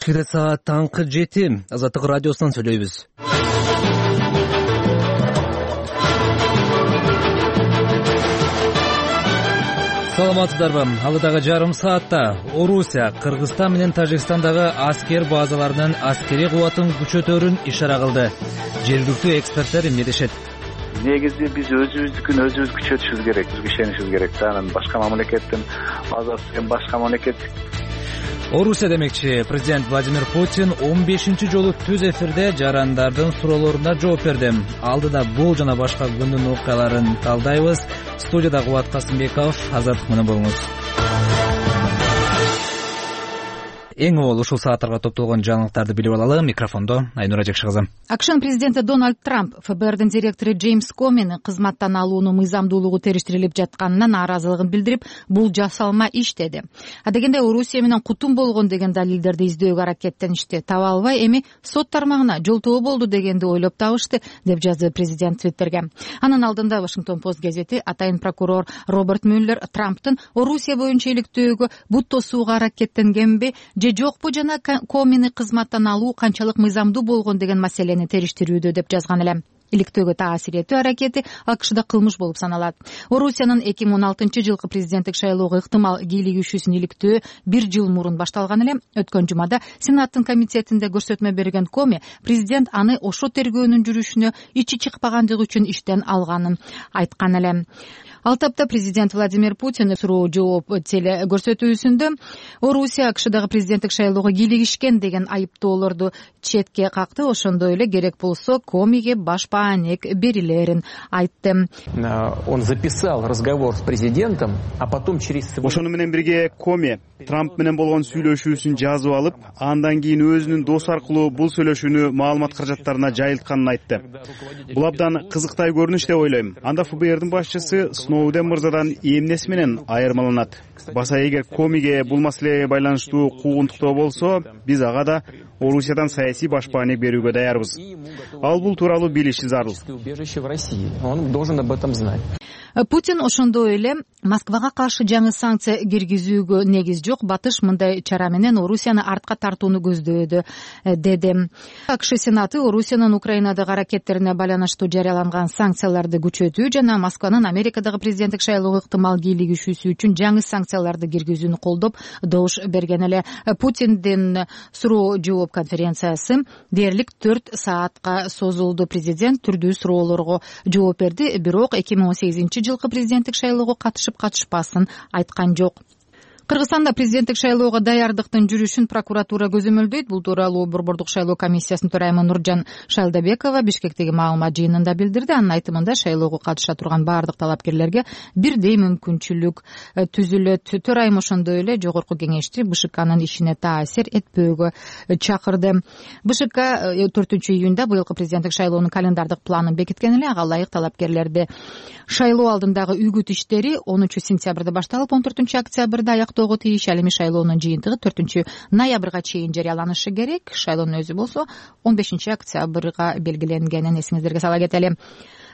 Кечке саат таңкы 7 Азаттык радиосунан сүйлөйбүз. Саламатсыздарбы? Алыдагы жарым саатта Орусия Кыргызстан менен Тажикстандагы аскер базаларынын аскерий кубатын күчөтөрүн ишара кылды. Жергиликтүү эксперттер эмне дешет? Негизи биз өзүбүздүкүн өзүбүз күчөтүшүбүз керек, бизге ишенишибиз керек. Анан башка мамлекеттин базасы башка мамлекет. Орусия демекчи, президент Владимир Путин 15-чи жолу түз эфирде жарандардын суроолоруна жооп берди. Алдыда бул жана башка күндүн окуяларын талдайбыз. Студияда Кубат Касымбеков, Азаттык менен болуңуз. Эң оол ушул сааттарга топтолгон жаңылыктарды билип алалы. Микрофондо Айнура Жекши. АКШнын президенти Дональд Трамп ФБРдин директору Джеймс Комени кызматтан алуунун мыйзамдуулугу териштирилип жатканына нааразылыгын билдирип, бул жасалма иш деди. Адегенде Орусия менен кутум болгон деген далилдерди издөөгө аракеттеништи. Таба албай эми сот тармагына жолтоо болду дегенди ойлоп табышты, деп жазды президент Твиттерге. Анын алдында Вашингтон Пост газети атайын прокурор Роберт Мюллер Трамптын Орусия боюнча иликтөөгө бут тосууга аракеттенгенби же жокпу жана Комени кызматтан алуу канчалык мыйзамдуу болгон деген маселени териштирүүдө деп жазган эле. Иликтөөгө таасир этүү аракети АКШда кылмыш болуп саналат. Орусиянын 2016-жылкы президенттик шайлоого ыктымал кийлигишүүсүн иликтөө 1 жыл мурун башталган эле. Өткөн жумада Сенаттын комитетинде көрсөтмө берген Коми президент аны ошо тергөөнүн жүрүшүнө ичи чыкпагандыгы үчүн иштен алганын айткан эле. Ал тапта президент Владимир Путин суроо жооп теле көрсөтүүсүндө Орусия АКШдагы президенттик шайлоого кийлигишкен деген айыптоолорду четке какты. Ошондой эле керек болсо Комиге баш баанек берилерин айтты. Он записал разговор с президентом, а потом через... Ошону менен бирге Коми Трамп менен болгон сүйлөшүүсүн жазып алып, андан кийин өзүнүн досу аркылуу бул сүйлөшүүнү маалымат каражаттарына жайылтканын айтты. Бул абдан кызыктай көрүнүш деп ойлойм. Анда ФБРдин башчысы Сноуден мырзадан эмнеси менен айырмаланат? Баса эгер Комиге бул маселеге байланыштуу куугунтуктоо болсо, биз ага да Орусиядан саясий баш баанек берүүгө даярбыз. Ал бул тууралуу билиши зарыл. Он должен об этом знать. Путин ошондой эле Москвага каршы жаңы санкция киргизүүгө негиз жок, батыш мындай чара менен Орусияны артка тартууну көздөөдү, деди. АКШ Сенаты Орусиянын Украинадагы аракеттерине байланыштуу жарыяланган санкцияларды күчөтүү жана Москванын Америкадагы президенттик шайлоого ыктымал кийлигишүүсү үчүн жаңы санкцияларды киргизүүнү колдоп добуш берген эле. Путиндин суроо жооп конференциясы дээрлик 4 саатка созулду. Президент түрдүү суроолорго жооп берди, бирок 2018-жылкы президенттик шайлоого катышып-катышпасын айткан жок. Кыргызстанда президенттик шайлоого даярдыктын жүрүшүн прокуратура көзөмөлдөйт. Бул тууралуу Борбордук шайлоо комиссиясынын төрайымы Нуржан Шайлдабекова Бишкектеги маалымат жыйынында билдирди. Анын айтымында шайлоого катыша турган бардык талапкерлерге бирдей мүмкүнчүлүк түзүлөт. Төрайым ошондой эле жогорку кеңешти БШКнын ишине таасир этпөөгө чакырды. БШК 4-июнда быйылкы президенттик шайлоонун календардык планын бекиткен эле. Ага ылайык талапкерлерди шайлоо алдындагы үгүт иштери 10-сентябрда башталып 14-октябрда аяктоого тийиш. Ал эми шайлоонун жыйынтыгы 4-ноябрга чейин жарыяланышы керек. Шайлоонун өзү болсо 15-октябрга белгиленгенин эсиңиздерге сала кетели.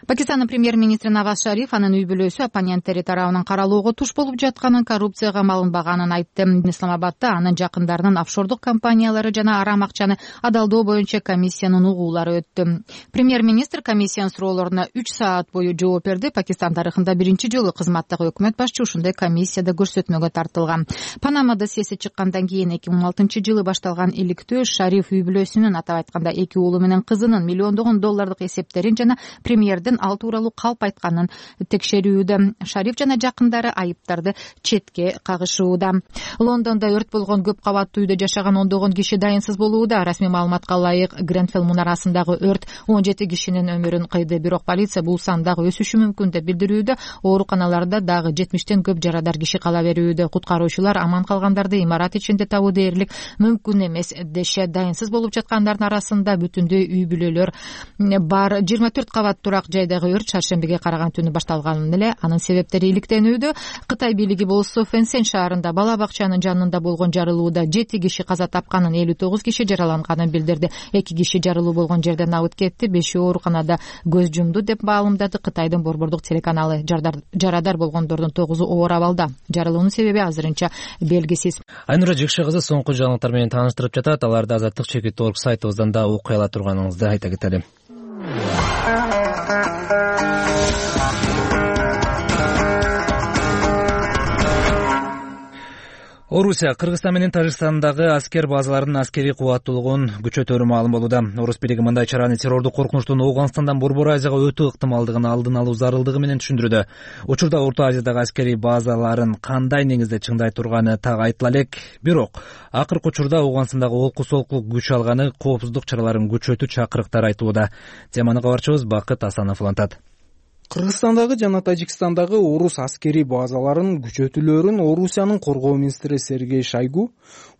Пакистандын премьер-министри Наваз Шариф анын үй-бүлөсү оппоненттери тарабынан каралоого туш болуп жатканын, коррупцияга малынбаганын айтты. Исламабадда анын жакындарынын офшордук компаниялары жана арам акчаны адалдоо боюнча комиссиянын угуулары өттү. Премьер-министр комиссиянын суроолоруна 3 саат бою жооп берди. Пакистан тарыхында биринчи жолу кызматтагы өкмөт башчы ушундай комиссияда көрсөтмөгө тартылган. Панама досьеси чыккандан кийин 2016-жылы башталган иликтөө Шариф үй-бүлөсүнүн, атап айтканда 2 уулу менен кызынын миллиондогон доллардык эсептерин жана премьердин ал тууралуу калп айтканын текшерүүдө. Шариф жана жакындары айыптарды четке кагышууда. Лондондо өрт болгон көп кабаттуу үйдө жашаган ондогон киши дайынсыз болууда. Расмий маалыматка ылайык, Гренфелл мунарасындагы өрт 17 кишинин өмүрүн кыйды. Бирок полиция бул сан дагы өсүшү мүмкүн деп билдирүүдө. Ооруканаларда дагы 70тен көп жарадар киши кала берүүдө. Куткаруучулар аман калгандарды имарат ичинде табуу дээрлик мүмкүн эмес дешет. Дайынсыз болуп жаткандардын арасында бүтүндөй үй бүлөлөр бар. 24 кабат турак жайдагы өрт шаршембиге караган түнү башталган эле анын себептери иликтенүүдө. Кытай бийлиги болсо Фэнсен шаарында бала бакчанын жанында болгон жарылууда 7 киши каза тапканын, 59 киши жараланганын билдирди. 2 киши жарылуу болгон жерден абыт кетти, 5 ооруканада көз жумду деп маалымдады Кытайдын борбордук телеканалы. Жарадар болгондордун 9-у оор абалда. Жарылуунун себеби азырынча белгисиз. Айнура Жекше кызы соңку жаңылыктар менен тааныштырып жатат. Аларды Азаттык.org сайтыбыздан да окуй ала турганыңызды айта кетели. Орусия Кыргызстан менен Тажикстандагы аскер базаларынын аскерий кубаттуулугун күчөтөрү маалым болууда. Орус бийлиги мындай чараны террордук коркунучтун Ооганстандан Борбор Азияга өтүү ыктымалдыгын алдын алуу зарылдыгы менен түшүндүрүүдө. Учурда Орто Азиядагы аскерий базаларын кандай негизде чыңдай турганы так айтыла элек. Бирок акыркы учурда Ооганстандагы олку-солкулук күч алганы коопсуздук чараларын күчөтүү чакырыктар айтылууда. Теманы кабарчыбыз Бакыт Асанов улантат. Кыргызстандагы жана Тажикстандагы орус аскерий базаларынын күчөтүлөрүн Орусиянын коргоо министри Сергей Шойгу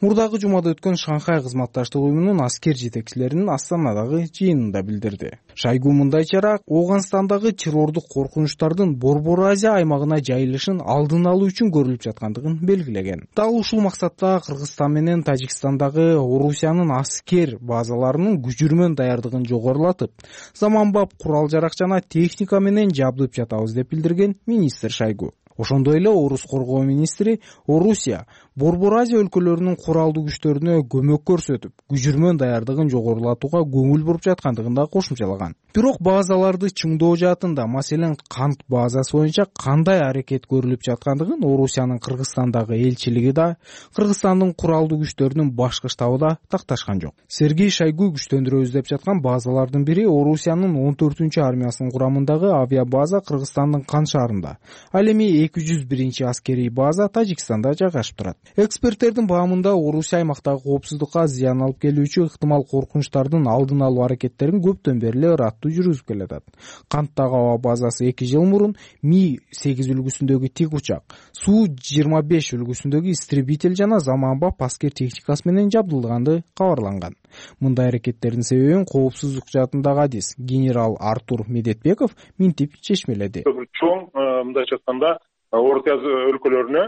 мурдагы жумада өткөн Шанхай кызматташтык уюмунун аскер жетекчилеринин Астанадагы жыйынында билдирди. Шойгу мындай чара Ооганстандагы террордук коркунучтардын Борбор Азия аймагына жайылышын алдын алуу үчүн көрүлүп жаткандыгын белгилеген. Дал ушул максатта Кыргызстан менен Тажикстандагы Орусиянын аскер базаларынын күчүрмөн даярдыгын жогорулатып, заманбап курал жарак жана техника менен жабдып жатабыз деп билдирген министр Шойгу. Ошондой эле орус коргоо министри Орусия Борбор Азия өлкөлөрүнүн куралдуу күчтөрүнө көмөк көрсөтүп, күчүрмөн даярдыгын жогорулатууга көңүл буруп жаткандыгын да кошумчалаган. Бирок базаларды чыңдоо жаатында, маселен кант базасы боюнча кандай аракет көрүлүп жаткандыгын Орусиянын Кыргызстандагы элчилиги да, Кыргызстандын куралдуу күчтөрүнүн башкы штабы да такташкан жок. Сергей Шойгу күчтөндүрөбүз деп жаткан базалардын бири Орусиянын 14-армиясынын курамындагы авиабаза Кыргызстандын Кан шаарында. Ал эми 201 аскерий база Тажикстанда жайгашып турат. Эксперттердин баамында Орусия аймактагы коопсуздукка зыян алып келүүчү ыктымал коркунучтардын алдын алуу аракеттерин көптөн бери эле ыраттуу жүргүзүп келатат. Канттагы аба базасы 2 жыл мурун Ми-8 үлгүсүндөгү тик учак, Су-25 үлгүсүндөгү истребитель жана заманбап аскер техникасы менен жабдылганды кабарланган. Мындай аракеттердин себебин коопсуздук жаатындагы адис генерал Артур Медетбеков минтип чечмеледи. Чоң мындайча айтканда Орто Азия өлкөлөрүнө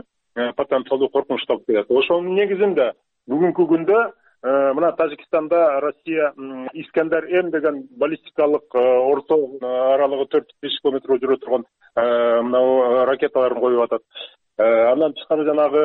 потенциалдуу коркунуч таап келет. Ошонун негизинде бүгүнкү күндө мына Тажикстанда Россия Искандер-М деген баллистикалык орто аралыгы 4-5 километр жүрө турган мына ракеталарын коюп атат. Андан тышкары жанагы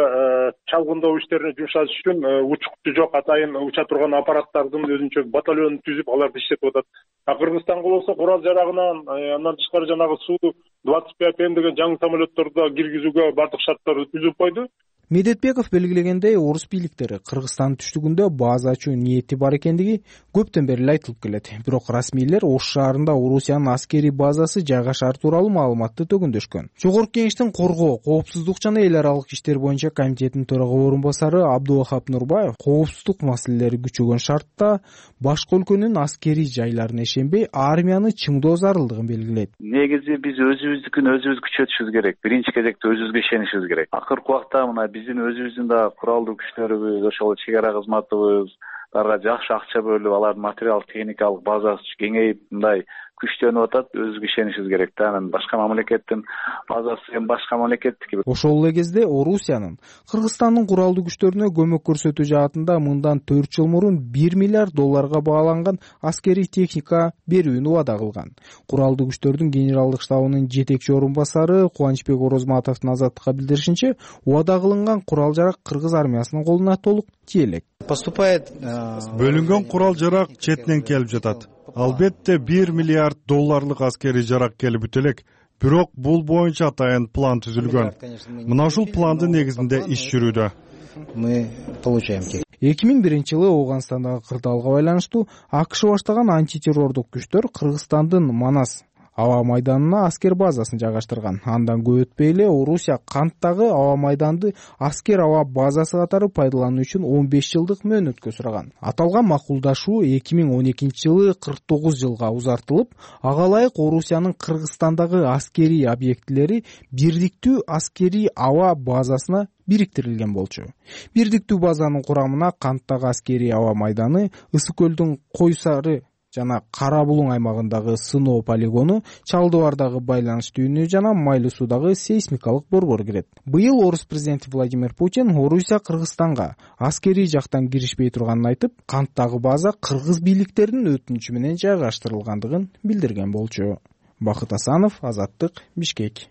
чалгындоо иштерине жумшаш үчүн учкучу жок атайын уча турган аппараттардын өзүнчө батальонун түзүп аларды иштетип атат. Кыргызстанга болсо курал жарагынан андан тышкары жанагы Су-25М деген жаңы самолетторду киргизүүгө бардык шарттарды түзүп койду. Медетбеков белгилегендей, орус бийликтери Кыргызстан түштүгүндө база ачуу ниети бар экендиги көптөн бери айтылып келет. Бирок расмийлер Ош шаарында Орусиянын аскерий базасы жайгашары тууралуу маалыматты төгүндөшкөн. Жогорку Кеңештин коргоо, коопсуздук жана эл аралык иштер боюнча комитетинин төрага орун басары Абдулвахап Нурбаев коопсуздук маселелери күчөгөн шартта башка өлкөнүн аскерий жайларына ишенбей армияны чыңдоо зарылдыгын белгилейт. Негизи биз өзүбүздүкүн өзүбүз күчөтүшүбүз керек. Биринчи кезекте өзүбүзгө ишенишибиз керек. Акыркы убакта мына биздин өзүбүздүн да куралдуу күчтөрүбүз, ошол чек ара кызматыбыз аларга жакшы акча бөлүп, алардын материалдык техникалык базасы кеңейип мындай күчтөнүп атат. Өзүбүзгө ишенишибиз керек да. Анан башка мамлекеттин базасы эми башка мамлекеттики. Ошол эле кезде Орусиянын Кыргызстандын куралдуу күчтөрүнө көмөк көрсөтүү жаатында мындан 4 жыл мурун $1 миллиард баланган аскерий техника берүүнү убада кылган. Куралдуу күчтөрдүн генералдык штабынын жетекчи орун басары Кубанычбек Орозматовдун Азаттыкка билдиришинче, убада кылынган курал жарак кыргыз армиясынын колуна толук тие элек. Бөлүнгөн курал жарак четинен келип жатат. Албетте $1 миллиард аскерий жарак келип бүтө элек. Бирок бул боюнча атайын план түзүлгөн. Мына ушул пландын негизинде иш жүрүүдө. 2001 жылы Ооганстандагы кырдаалга байланыштуу АКШ баштаган антитеррордук күчтөр Кыргызстандын Манас аба майданына аскер базасын жайгаштырган. Андан көп өтпөй эле Орусия Канттагы аба майданды аскер аба базасы катары пайдалануу үчүн 15 жылдык мөөнөткө сураган. Аталган макулдашуу 2012 жылы 49 жылга узартылып, ага ылайык Орусиянын Кыргызстандагы аскерий объектилери бирдиктүү аскерий аба базасына бириктирилген болчу. Бирдиктүү базанын курамына Канттагы аскерий аба майданы, Ысык көлдүн Кой Сары жана Кара Булуң аймагындагы сыноо полигону, Чалды Бардагы байланыш түйүнү жана Майлы Суудагы сейсмикалык борбор кирет. Быйыл орус президенти Владимир Путин Орусия Кыргызстанга аскерий жактан киришпей турганын айтып, канттагы база кыргыз бийликтеринин өтүнүчү менен жайгаштырылгандыгын билдирген болчу. Бакыт Асанов, Азаттык, Бишкек.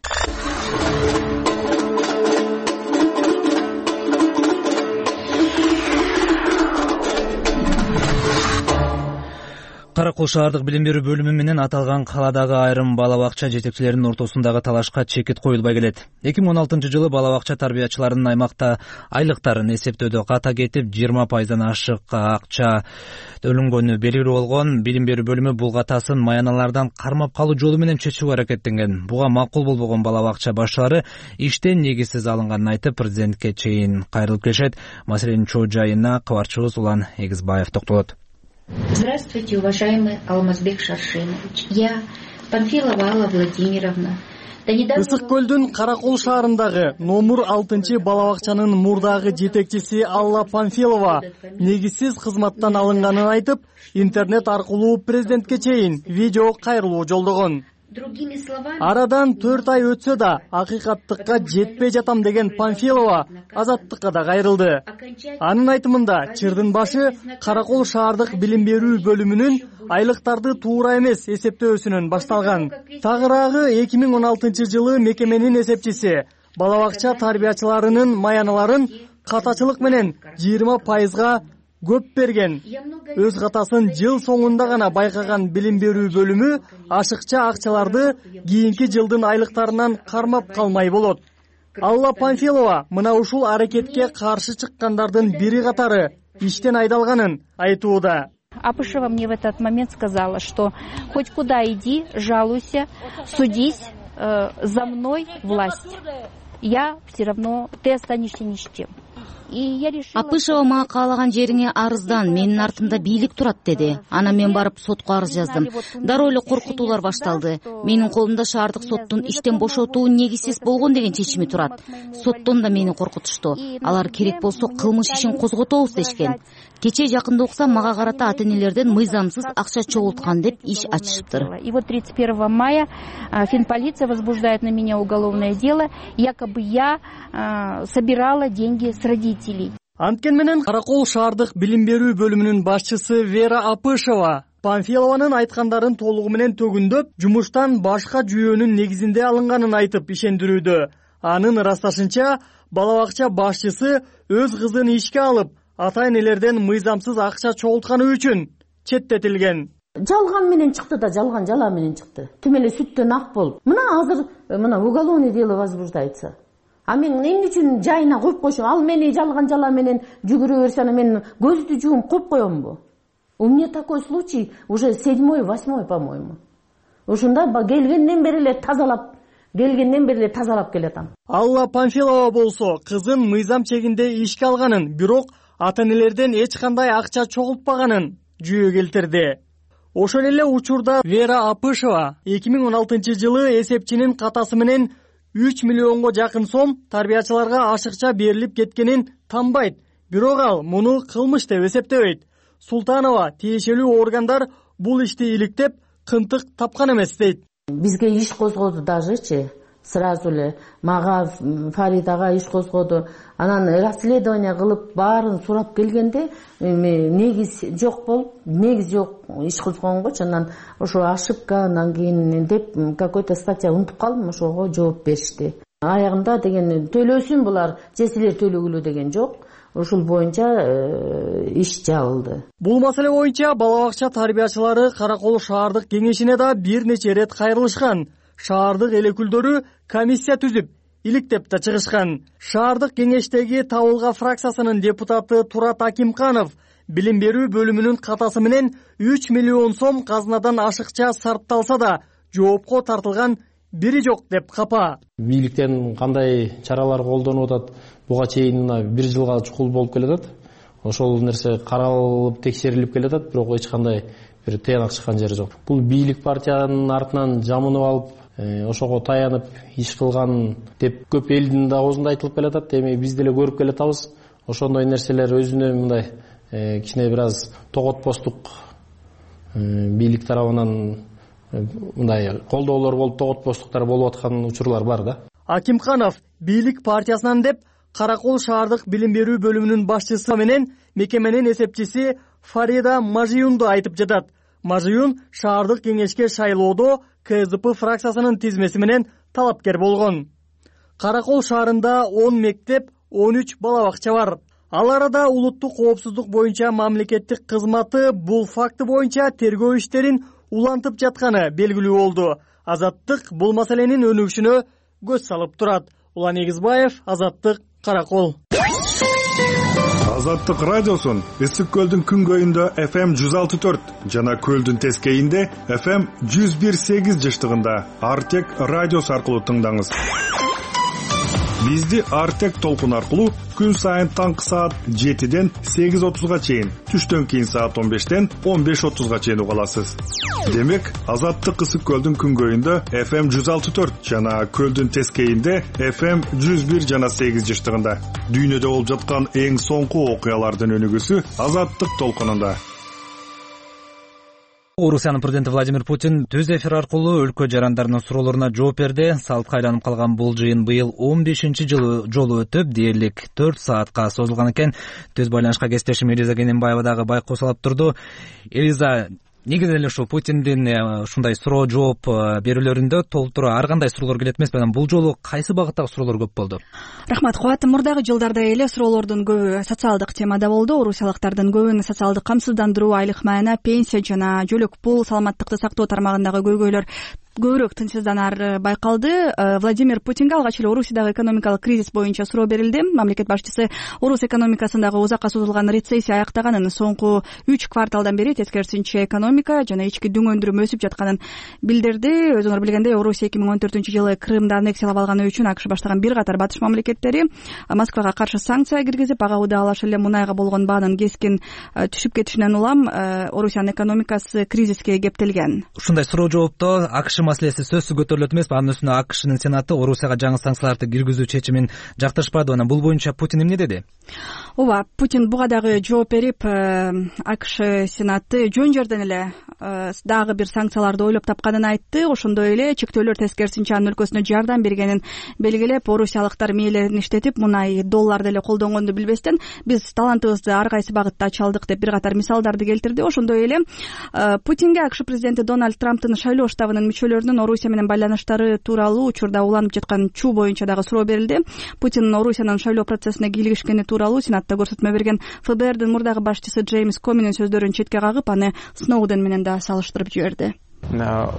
Кара Кол шаардык билим берүү бөлүмү менен аталган каладагы айрым бала бакча жетекчилеринин ортосундагы талашка чекит коюлбай келет. 2016-жылы бала бакча тарбиячыларынын аймакта айлыктарын эсептөөдө ката кетип 20%дан ашык акча төлөнгөнү белгилүү болгон. Билим берүү бөлүмү бул катасын маяналардан кармап калуу жолу менен чечүүгө аракеттенген. Буга макул болбогон бала бакча башчылары иштен негизсиз алынганын айтып, президентке чейин кайрылып келишет. Маселенин чоо жайына кабарчыбыз Улан Эгизбаев токтолот. Здравствуйте, уважаемый Алмазбек Шаршенович. Я, Панфилова Алла Владимировна. Ысык көлдүн Кара Кол шаарындагы номер 6 бала бакчанын мурдагы жетекчиси Алла Панфилова негизсиз кызматтан алынганын айтып, интернет аркылуу президентке чейин видео кайрылуу жолдогон. Арадан 4 ай өтсө да акыйкаттыкка жетпей жатам деген Панфилова Азаттыкка да кайрылды. Анын айтымында, чырдын башы Кара Кол шаардык билим берүү бөлүмүнүн айлыктарды туура эмес эсептөөсүнөн башталган. Тагыраагы 2016-жылы мекеменин эсепчиси бала бакча тарбиячыларынын маяналарын катачылык менен 20%га көп берген. Өз катасын жыл соңунда гана байкаган билим берүү бөлүмү ашыкча акчаларды кийинки жылдын айлыктарынан кармап калмай болот. Алла Панфилова мына ушул аракетке каршы чыккандардын бири катары иштен айдалганын айтууда. Апышева мне в этот момент сказала, что хоть куда иди, жалуйся, судись, за мной власть. Я все равно, ты останешься ни с чем. Апышева мага каалаган жериңе арыздан, менин артымда бийлик турат деди. Анан мен барып сотко арыз жаздым. Дароо эле коркутуулар башталды. Менин колумда шаардык соттун иштен бошотуу негизсиз болгон деген чечими турат. Соттон да мени коркутушту. Алар керек болсо кылмыш ишин козготобуз дешкен. Кече жакында уксам мага карата ата-энелерден мыйзамсыз акча чогулткан деп иш ачышыптыр. И вот 31 мая финполиция возбуждает на меня уголовное дело, якобы я собирала деньги с родителей. Анткен менен Кара Кол шаардык билим берүү бөлүмүнүн башчысы Вера Апышева Панфилованын айткандарын толугу менен төгүндөп, жумуштан башка жүйөнүн негизинде алынганын айтып ишендирүүдө. Анын ырасташынча, бала бакча башчысы өз кызын ишке алып, ата-энелерден мыйзамсыз акча чогултканы үчүн четтетилген. Жалган менен чыкты да, жалган жала менен чыкты. Тим эле сүттөн ак болуп. Азыр уголовный дело возбуждается. А мен эмне үчүн жайына коюп койшум? Ал мени жалган жала менен жүгүрө берсе, мен көздү жууп коюп коембу? У меня такой случай уже 7-й, 8-й, по-моему. Ушунда келгенден бери эле тазалап келатам. Алла Панфилова болсо кызын мыйзам чегинде ишке алганын, бирок ата-энелерден эч кандай акча чогултпаганын жүйө келтирди. Ошол эле учурда Вера Апышева 2016-жылы эсепчинин катасы менен 3 миллионго жакын сом тарбиячыларга ашыкча берилип кеткенин танбайт, бирок ал муну кылмыш деп эсептебейт. Султанова тиешелүү органдар бул ишти иликтеп, кынтык тапкан эмес дейт. Бизге иш козгоду дажычы, сразу эле мага Фаридага иш козгоду. Анан расследование кылып баарын сурап келгенде негиз жок иш козгонгочу. Анан ошо ошибка, анан кийин деп какой-то статья унутуп калдым, ошого жооп беришти. Аягында деген төлөсүн булар, жесилер төлөгүлө деген жок. Ушул боюнча иш жабылды. Бул маселе боюнча бала бакча тарбиячылары Кара Кол шаардык кеңешине да бир нече рет кайрылышкан. Шаардык эл өкүлдөрү комиссия түзүп, иликтеп да чыгышкан. Шаардык кеңештеги Табылга фракциясынын депутаты Турат Акимканов билим берүү бөлүмүнүн катасы менен 3 миллион сом казынадан ашыкча сарпталса да жоопко тартылган бири жок деп капа. Бийликтен кандай чаралар колдонуп атат, буга чейин 1 жылга чукул болуп келатат. Ошол нерсе каралып, текшерилип келатат, бирок эч кандай бир тыянак чыккан жери жок. Бул бийлик партиянын артынан жамынып алып, ошого таянып иш кылган деп көп элдин да оозунда айтылып келатат. Эми биз деле көрүп келатабыз. Ошондой нерселер өзүнө мындай кичине бир аз тоготпостук бийлик тарабынан мындай колдоолор болуп тоготпоштуктар болуп аткан учурлар бар да. Акимханов бийлик партиясынан деп Каракол шаардык билим берүү бөлүмүнүн башчысы менен мекеменин эсепчиси Фарида Мажиюнду айтып жатат. Мажиюн шаардык кеңешке шайлоодо КЗП фракциясынын тизмеси менен талапкер болгон. Каракол шаарында 10 мектеп, 13 бала бакча бар. Ал арада улуттук коопсуздук боюнча мамлекеттик кызматы бул факты боюнча тергөө иштерин улантып жатканы белгилүү болду. Азаттык бул маселенин өнүгүшүнө көз салып турат. Улан Эгизбаев, Азаттык, Каракол. Азаттык радиосун Ысык көлдүн күнгөйүндө FM 106.4 жана көлдүн тескейинде FM 101.8 жыштыгында Артек радиосу аркылуу тыңдаңыз. Бизди Артек толкун аркылуу күн сайын таңкы саат 7ден 8:30га чейин, түштөн кийин саат 15ден 15:30га чейин уга аласыз. Демек, Азаттык Ысык көлдүн күнгөйүндө FM 106.4 жана көлдүн тескейинде FM 101 жана 8 жыштыгында. Дүйнөдө болуп жаткан эң соңку окуялардын өнүгүүсү Азаттык толкунунда. Орусиянын президенти Владимир Путин түз эфир аркылуу өлкө жарандарынын суроолоруна жооп берди. Салтка айланып калган бул жыйын быйыл 15-жолу өтүп, дээрлик 4 саатка созулган экен. Түз байланышка кесиптешим Элиза Кененбаева дагы байкоо салып турду. Элиза, негизи эле ушул Путиндин ушундай суроо жооп берүүлөрүндө толтура ар кандай суроолор келет эмеспи? Анан бул жолу кайсы багыттагы суроолор көп болду? Рахмат, Кубат. Мурдагы жылдарда эле суроолордун көбү социалдык темада болду. Орусиялыктардын көбүн социалдык камсыздандыруу, айлык маана, пенсия жана жөлөк пул, саламаттыкты сактоо тармагындагы көйгөйлөр көбүрөөк тынчсызданары байкалды. Владимир Путинге алгач эле Орусиядагы экономикалык кризис боюнча суроо берилди. Мамлекет башчысы Орус экономикасындагы узакка созулган рецессия аяктаганын, соңку 3 кварталдан бери тескерисинче экономика жана ички дүң өндүрүм өсүп жатканын билдирди. Өзүңөр билгендей, Орусия 2014-жылы Крымды аннексиялап алганы үчүн АКШ баштаган бир катар батыш мамлекеттери Москвага каршы санкция киргизип, ага удаалаш эле мунайга болгон баанын кескин түшүп кетишинен улам Орусиянын экономикасы кризиске кептелген. Ушундай суроо жоопто АКШ маселеси сөзсүз көтөрүлөт эмеспи? Анын үстүнө АКШнын Сенаты Орусияга жаңы санкцияларды киргизүү чечимин жактырышпады. Анан бул боюнча Путин эмне деди? Ооба, Путин буга дагы жооп берип, АКШ Сенаты жөн жерден эле дагы бир санкцияларды ойлоп тапканын айтты. Ошондой эле чектөөлөр тескерисинче анын өлкөсүнө жардам бергенин белгилеп, орусиялыктар мээлерин иштетип, мунай долларды эле колдонгонду билбестен биз талантыбызды ар кайсы багытта ачалдык деп бир катар мисалдарды келтирди. Ошондой эле Путинге АКШ президенти Дональд Трамптын шайлоо штабынын мүчөлөрүнүн Орусия менен байланыштары тууралуу учурда уланып жаткан чуу боюнча дагы суроо берилди. Путин Орусиянын шайлоо процессине кийлигишкени тууралуу Сенатта көрсөтмө берген ФБРдин мурдагы башчысы Джеймс Коминин сөздөрүн четке кагып, аны Сноуден менен да салыштырып жиберди.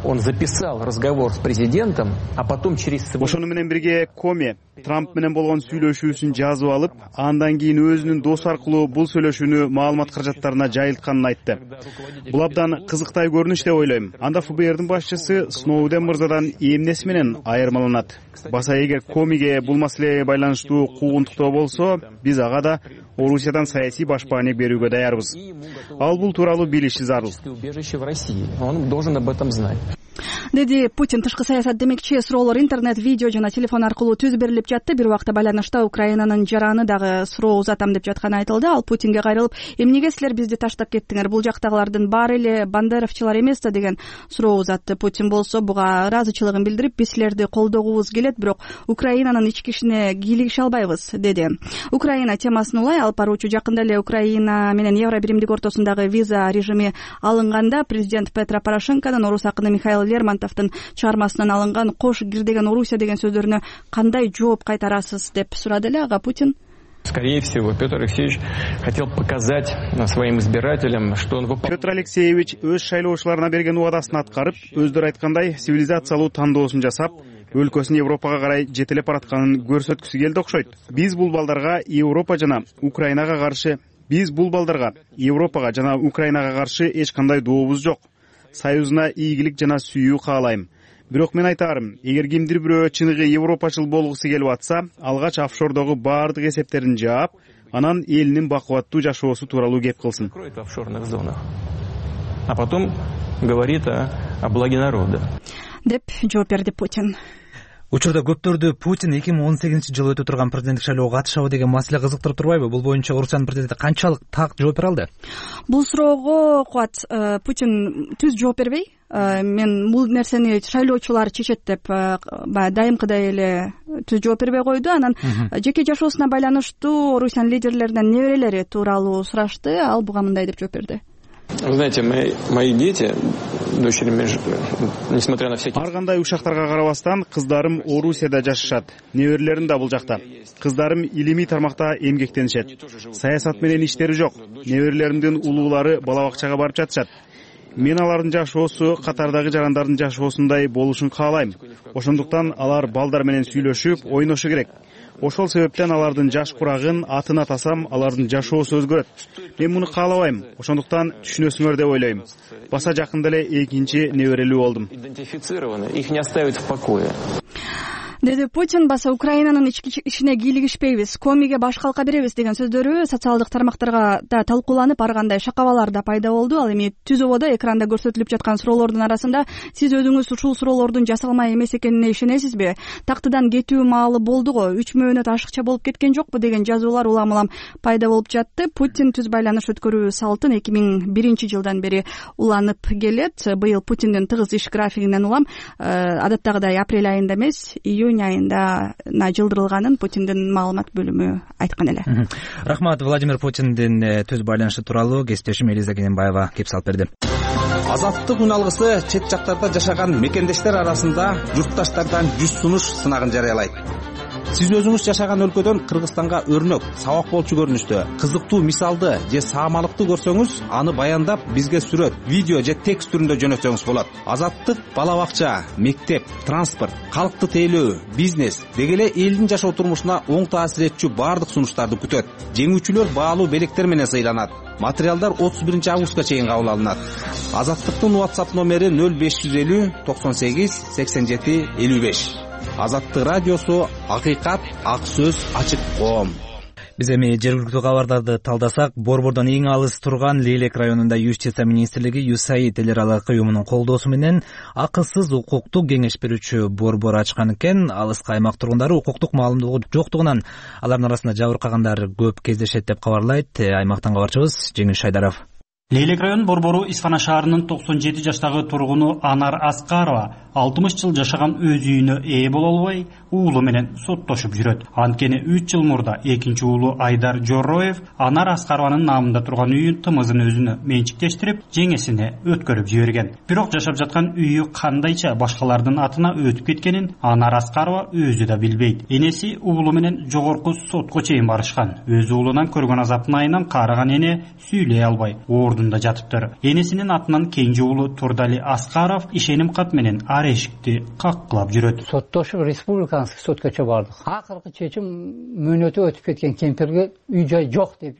Он записал разговор с президентом, а потом через... Ошону менен бирге Коми Трамп менен болгон сүйлөшүүсүн жазып алып, андан кийин өзүнүн досу аркылуу бул сүйлөшүүнү маалымат каражаттарына жайылтканын айтты. Бул абдан кызыктай көрүнүш деп ойлойм. Анда ФБРдин башчысы Сноуден мырзадан эмнеси менен айырмаланат? Баса эгер Комиге бул маселеге байланыштуу куугунтуктоо болсо, биз ага да Орусиядан саясий башпаанек берүүгө даярбыз. Ал бул тууралуу билиши зарыл. Он должен об этом знать. Деди Путин. Тышкы саясат демекчи суроолор интернет, видео жана телефон аркылуу түз берилип жатты. Бир убакта байланышта Украинанын жараны дагы суроо узатам деп жатканы айтылды. Ал Путинге кайрылып, эмнеге силер бизди таштап кеттиңер? Бул жактагылардын баары эле бандеровчулар эмес да деген суроо узатты. Путин болсо буга ыраазычылыгын билдирип, биз силерди колдогубуз келет, бирок Украинанын ички ишине кийлигише албайбыз деди. Украина темасын улай алып баруучу жакында эле Украина менен Евро биримдик ортосундагы виза режими алынганда президент Петро Порошенконун орус акыны Михаил Лермонтовдун чыгармасынан алынган «Кош кирдеген Орусия» деген сөздөрүнө кандай жооп кайтарасыз деп сурады эле ага Путин. Скорее всего, Петр Алексеевич хотел показать своим избирателям, что он выполняет. Петр Алексеевич өз шайлоочуларына берген убадасын аткарып, өздөрү айткандай сивилизациялуу тандоосун жасап, өлкөсүн Европага карай жетелеп баратканын көрсөткүсү келди окшойт. Биз бул балдарга Европага жана Украинага каршы эч кандай дообуз жок. Союзуна ийгилик жана сүйүү каалайм. Бирок мен айтарым, эгер кимдир бирөө чыныгы европачыл болгусу келип атса, алгач офшордогу баардык эсептерин жаап, анан элинин бакубаттуу жашоосу тууралуу кеп кылсын. В офшорных зонах. А потом говорит о благе народа. Деп жооп берди Путин. Учурда көптөрдү Путин 2018-жылы өтө турган президенттик шайлоого катышабы деген маселе кызыктырып турбайбы? Бул боюнча Орусиянын президенти канчалык так жооп бере алды? Бул суроого Кубат Путин түз жооп бербей, мен бул нерсени шайлоочулар чечет деп баягы дайымкыдай эле түз жооп бербей койду. Анан жеке жашоосуна байланыштуу Орусиянын лидерлеринен неберелери тууралуу сурашты. Ал буга мындай деп жооп берди. Вы знаете, мои дети, дочери, несмотря на всякие... Ар кандай ушактарга карабастан кыздарым Орусияда жашашат. Неберелерим да бул жакта. Кыздарым илимий тармакта эмгектенишет. Саясат менен иштери жок. Неберелеримдин улуулары бала бакчага барып жатышат. Мен алардын жашоосу катардагы жарандардын жашоосундай болушун каалайм. Ошондуктан алар балдар менен сүйлөшүп, ойношу керек. Ошол себептен алардын жаш курагын атына атасам, алардын жашоосу өзгөрөт. Мен муну каалабайм. Ошондуктан түшүнөсүңөр деп ойлойм. Баса жакында эле экинчи неберелүү болдум. Их не оставят в покое. Деди Путин. Баса Украинанын ички ишине кийлигишпейбиз, комиге баш калка беребиз деген сөздөрү социалдык тармактарга да талкууланып, ар кандай шакабалар да пайда болду. Ал эми түз ободо экранда көрсөтүлүп жаткан суроолордун арасында сиз өзүңүз ушул суроолордун жасалма эмес экенине ишенесизби? Тактыдан кетүү маалы болду го, 3 мөөнөт ашыкча болуп кеткен жокпу деген жазуулар улам пайда болуп жатты. Путин түз байланыш өткөрүү салтын 2001-жылдан бери уланып келет. Быйыл Путиндин тыгыз иш графигинен улам адаттагыдай апрель айында эмес, июнь айында жылдырылганын Путиндин маалымат бөлүмү айткан эле. Рахмат. Владимир Путиндин түз байланышы тууралуу кесиптешим Элиза Кененбаева кеп салып берди. Азаттык үн алгысы чет жактарда жашаган мекендештер арасында журтташтардан жүз сунуш сынагын жарыялайт. Сиз өзүңүз жашаган өлкөдөн Кыргызстанга өрнөк, сабак болчу көрүнүштө кызыктуу мисалды же саамалыкты көрсөңүз, аны баяндап бизге сүрөт, видео же текст түрүндө жөнөтсөңүз болот. Азаттык бала бакча, мектеп, транспорт, калкты тейлөө, бизнес деги эле элдин жашоо турмушуна оң таасир этчү баардык сунуштарды күтөт. Жеңүүчүлөр баалуу белектер менен сыйланат. Материалдар 31-августка чейин кабыл алынат. Азаттыктын WhatsApp номери 0550 98 87 55. Азаттык радиосу, акыйкат, ак сөз, ачык коом. Биз эми жергиликтүү кабардарды талдасак, Борбордон эң алыс турган Лейлек районунда Юстиция министрлиги USAID эл аралык уюмунун колдоосу менен акысыз укуктук кеңеш берүүчү борбор ачкан экен. Алыскы аймак тургундары укуктук маалымдоого жоктугунан алардын арасында жабыркагандар көп кездешет деп кабарлайт аймактан кабарчыбыз Жеңил Шайдаров. Лейлек район борбору Исфана шаарынын 97 жаштагы тургуну Анар Аскарова 60 жыл жашаган өз үйүнө ээ боло албай, уулу менен соттошуп жүрөт. Анткени 3 жыл мурда экинчи уулу Айдар Жорроев Анар Аскарованын намында турган үйүн тымызын өзүнө менчиктештирип, жеңесине өткөрүп жиберген. Бирок жашап жаткан үйү кандайча башкалардын атына өтүп кеткенин Анар Аскарова өзү да билбейт. Энеси уулу менен жогорку сотко чейин барышкан. Өз уулунан көргөн азаптын айынан карыган эне сүйлөй албай ордунда жатыптыр. Энесинин атынан кенже уулу Турдали Аскаров ишеним кат менен эшикти каккылап жүрөт. Соттошуп республиканский соткача бардык. Акыркы чечим мөөнөтү өтүп кеткен кемпирге үй жай жок деп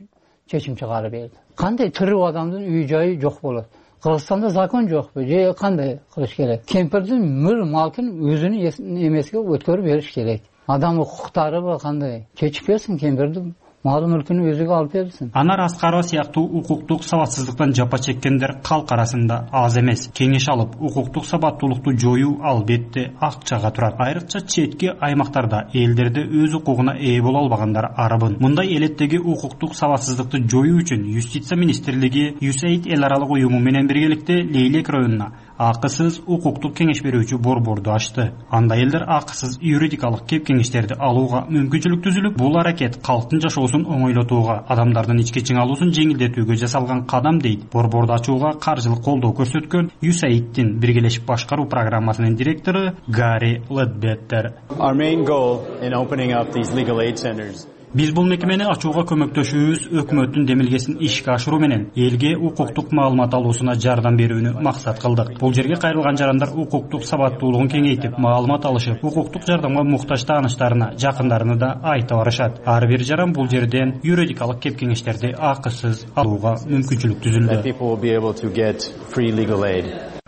чечим чыгарып берди. Кандай тирүү адамдын үй жайы жок болот? Кыргызстанда закон жокпу? Же кандай кылыш керек? Кемпирдин мөр малкын өзүнүн эмесиге өткөрүп бериш керек. Адам укуктары бар кандай? Чечип берсин кемпирди. Мал мүлкүнү өзүгө алып берсин. Анар Аскарова сыяктуу укуктук сабатсыздыктан жапа чеккендер калк арасында аз эмес. Кеңеш алып, укуктук сабаттуулукту жоюу албетте акчага турат. Айрыкча четки аймактарда элдерде өз укугуна ээ боло албагандар арабын. Мындай элеттеги укуктук сабатсыздыкты жоюу үчүн Юстиция министрлиги USAID эл аралык уюму менен биргеликте Лейлек районуна акысыз укуктук кеңеш берүүчү борборду ачты. Анда элдер акысыз юридикалык кеп кеңештерди алууга мүмкүнчүлүк түзүлүп, бул аракет калктын жашоосун оңойлотууга, адамдардын ички чыңалуусун жеңилдетүүгө жасалган кадам дейт. Борборду ачууга каржылык колдоо көрсөткөн USAID-тин биргелешип башкаруу программасынын директору Гарри Ледбеттер. Our main goal in opening up these legal aid centers Биз бул мекемени ачууга көмөктөшүүбүз өкмөттүн демилгесин ишке ашыруу менен элге укуктук маалымат алуусуна жардам берүүнү максат кылдык. Бул жерге кайрылган жарандар укуктук сабаттуулугун кеңейтип, маалымат алышып, укуктук жардамга муктаж тааныштарына, жакындарына да айта барышат. Ар бир жаран бул жерден юридикалык кеп кеңештерди акысыз алууга мүмкүнчүлүк түзүлдү.